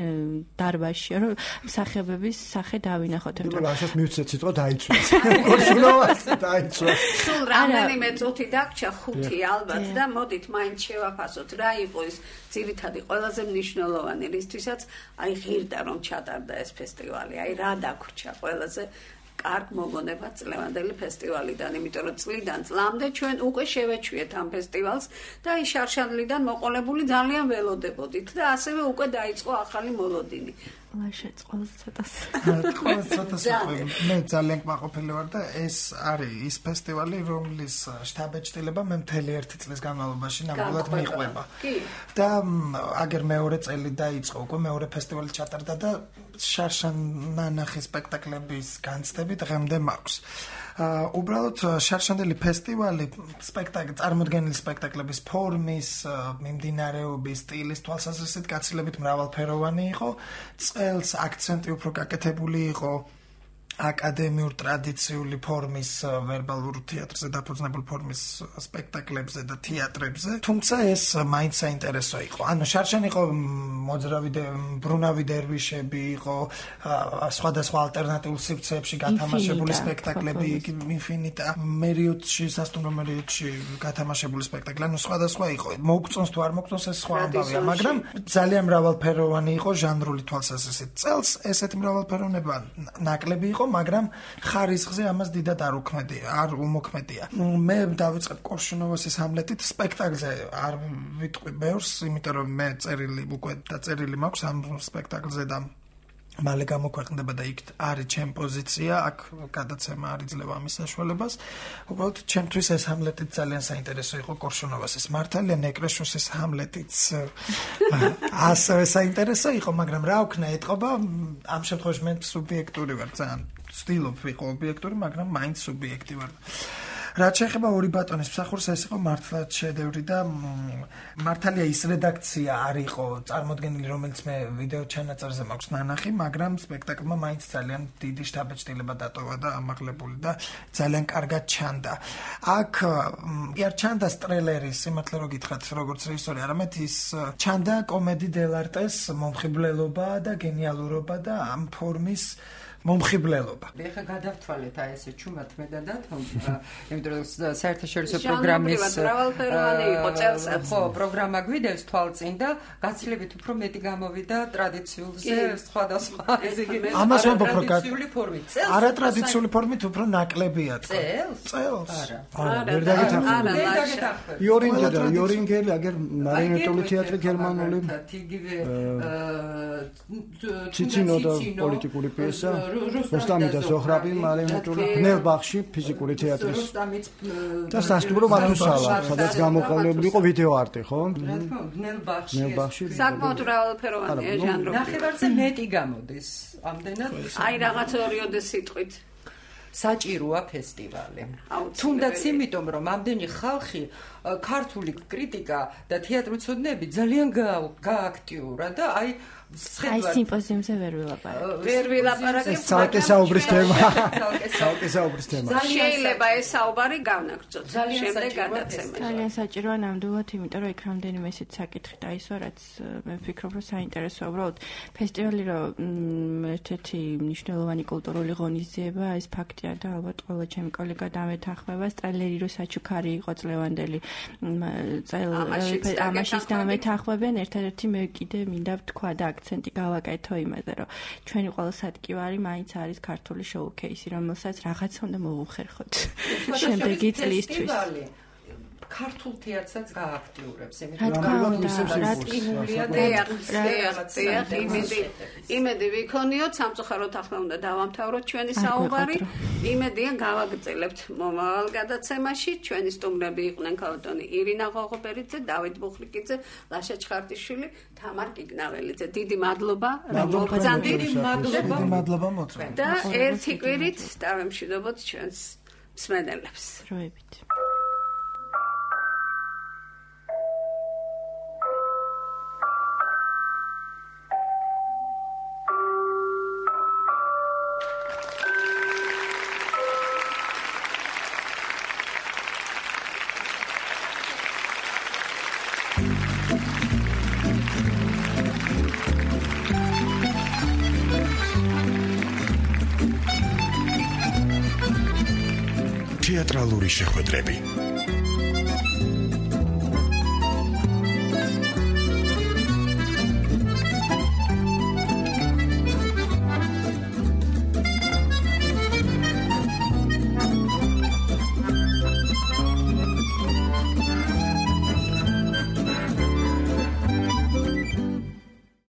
Speaker 4: დარბაზში, რომ მსახიობების სახე დავინახოთ.
Speaker 5: იმიტომ რომ ასას მივცეთ სიტყვა დაიცვეს. კორშუნოვას დაიცვეს.
Speaker 2: სულ რამდენიმე წუთი დაგჭა ხუთი ალბათ და მოდით მაინც შევაფასოთ რა იყო ის ძირითადი ყველაზე მნიშვნელოვანი რისთვისაც აი ღირდა რომ ჩატარდა ეს ფესტივალი. აი რა დაგვრჩა ყველაზე კარგ მოგონება წლევანდელი ფესტივალიდან, იმიტომ რომ წლიდან წლამდე ჩვენ უკვე შევეჩვიეთ ამ ფესტივალს და აი შარშანდლიდან მოყოლებული ძალიან ველოდებოდით და ასევე უკვე დაიწყო ახალი მოლოდინი.
Speaker 4: ლაშეც ყოველს ცოტას.
Speaker 1: ყოველს ცოტას მე ძალიან კმაყოფილი ვარ და ეს არის ის ფესტივალი, რომლის შტაბ-ეჭდილება მე მთელი ერთი წლის განმავლობაში ნამდვილად მიყვება. და აგერ მეორე წელი დაიწყო, უკვე მეორე ფესტივალი ჩატარდა და შარშან-ნანახი სპექტაკლების განცდები დღემდე მაქვს. უბრალოდ შარშანდელი ფესტივალი სპექტაკლი წარმოდგენილი სპექტაკლების ფორმის, მიმდინარეობის, სტილის თვალსაზრისით გაცილებით მრავალფეროვანი იყო. წელს აქცენტი უფრო გაკეთებული იყო აკადემიურ ტრადიციული ფორმის ვერბალურ თეატრზე დაფუძნებულ ფორმის სპექტაკლებზე და თეატრებზე. თუმცა ეს მაინც საინტერესო იყო. ანუ შარშან იყო მოძრავი ბრუნავი დერვიშები, იყო სხვადასხვა ალტერნატიულ სივრცეებში გათამაშებული სპექტაკლები, ინფინიტა, მერიოტში, სასტუმრო მერიოტში გათამაშებული სპექტაკლი. ანუ სხვადასხვა იყო. მოგწონს თუ არ მოგწონს ეს სხვა ამბავია, მაგრამ ძალიან მრავალფეროვანი იყო ჟანრული თვალსაზრისით. წელს ესეთი მრავალფეროვნება ნაკლები იყო, მაგრამ ხარისხზე ამას დიდად არ უქმედია, არ უმოქმედია. მე დავიწყებ კორშუნოვასის ჰამლეტით სპექტაკლზე არ ვიტყვი ბევრს, იმიტომ რომ მე წერილი უკვე დაწერილი მაქვს ამ სპექტაკლზე და მალე გამოქვეყნდება და იქ არის ჩემი პოზიცია, აქ გადაცემა არ იძლევა ამის საშუალებას. უბრალოდ ჩემთვის ეს ჰამლეტიც ძალიან საინტერესო იყო კორშუნოვასის. მართალია ნეკრეშოსის ჰამლეტიც ასევე საინტერესო იყო, მაგრამ რა ვქნა ეთყობა, ამ შემთხვევაში მე სუბიექტური ვარ, ძალიან ვცდილობ ვიყო ობიექტური, მაგრამ მაინც სუბიექტი ვარ. რაც შეეხება ორი ბატონის მსახურს, ეს იყო მართლაც შედევრი და მართალია ის რედაქცია არ იყო წარმოდგენილი, რომელიც მე ვიდეო ჩანაწერზე მაქვს ნანახი, მაგრამ სპექტაკლმა მაინც ძალიან დიდი შტაბ-ეჭდილება დატოვა და ამაღლებული და ძალიან კარგად ჩანდა. აქ არ ჩანდა სტრელერის, სიმართლე რო გითხრათ, როგორც რეჟისორი, არამედ ის ჩანდა კომედი დელარტეს მომხიბლელობა და გენიალურობა და ამ ფორმის მომხიბლელობა.
Speaker 3: ეხლა გადავთვალეთ აი ესე ჩუმად მე და დათომ, იმიტომ რომ საერთაშორისო პროგრამის
Speaker 2: მრავალფეროვანი იყო წელსაც.
Speaker 3: ხო, პროგრამა გვიდევს თვალწინ და გაცილებით უფრო მეტი გამოვიდა ტრადიციულზე, სხვადასხვა ესე იგი
Speaker 1: ამას ვამბობ, რომ
Speaker 3: ტრადიციული ფორმით.
Speaker 1: არა ტრადიციული ფორმით უფრო ნაკლებია თქო.
Speaker 3: წელს?
Speaker 1: წელს.
Speaker 3: არა.
Speaker 5: არა, ვერ დაგეთანხმებით. იორინგელი, იორინგელი, აგერ მარიონეტული თეატრი გერმანული.
Speaker 3: იგივე
Speaker 5: ციცინო და პოლიტიკური პიესა. რუსტამი და ზოხრაბი მარიონეტული ბნელბახში ფიზიკური თეატრის და სასტუმრო მათუსალა, სადაც გამოყენებული იყო ვიდეო არტი, ხო?
Speaker 3: რა თქმა უნდა, ბნელბახში.
Speaker 5: ბნელბახში.
Speaker 2: საკმაოდ მრავალფეროვანია ჟანრი.
Speaker 3: ნახევარზე მეტი გამოდის. ამდენად
Speaker 2: აი რაღაც ორიოდე სიტყვით
Speaker 3: საჭიროა ფესტივალი. თუნდაც იმიტომ, რომ ამდენი ხალხი ქართული კრიტიკა და თეატრმცოდნეები ძალიან გააქტიურა და აი
Speaker 4: აი სიმპოზიუმზე ვერ ვილაპარაკებ.
Speaker 2: ვერ ვილაპარაკებ.
Speaker 5: ეს ცალკე საუბრის თემა. ცალკე საუბრის თემა.
Speaker 2: შეიძლება ეს საუბარი გავნაგრძოთ. შემდეგ გადაცემა.
Speaker 4: ძალიან საჭიროა ნამდვილად, იმიტომ რომ იქ რამდენიმე ისეთ საკითხი დაისვა, რაც მე ვფიქრობ, რომ საინტერესოა. უბრალოდ ფესტივალი რომ ერთ-ერთი მნიშვნელოვანი კულტურული ღონისძიება, ეს ფაქტია და ალბათ ყველა ჩემი კოლეგა დამეთანხმება. სტრელერი რო საჩუქარი იყო წლევანდელი წელ ამაშიც დამეთანხმებენ. ერთადერთი მე კიდე მინდა ვთქვა და აქცენტი გავაკეთო იმაზე, რომ ჩვენი ყველა სადგივარი მაინც არის ქართული შოუ-ქეისი, რომელსაც რაღაც უნდა მოვუხერხოთ შემდეგი წლისთვის.
Speaker 3: ქართულ თეატრსაც გააქტიურებს,
Speaker 4: რა თქმა უნდა, რა
Speaker 3: ტკიულია და
Speaker 2: იმედი იმედი ვიქონიოთ, სამწუხაროდ ახლა უნდა დავამთავროთ ჩვენი საუბარი. იმედია გავაგრძელებთ მომავალ გადაცემაში. ჩვენი სტუმრები იყვნენ ქალბატონი ირინა ღოღობერიძე, დავით ბუხლიკიძე, ლაშა ჩხარტიშვილი, თამარ კიგნაველიძე. დიდი მადლობა, რომ მოგწანდით.
Speaker 1: დიდი მადლობა მოწვევთ.
Speaker 2: და ერთი კვირით დავემშვიდობოთ ჩვენს მსმენელებს.
Speaker 4: დროებით.
Speaker 7: თეატრალური შეხვედრები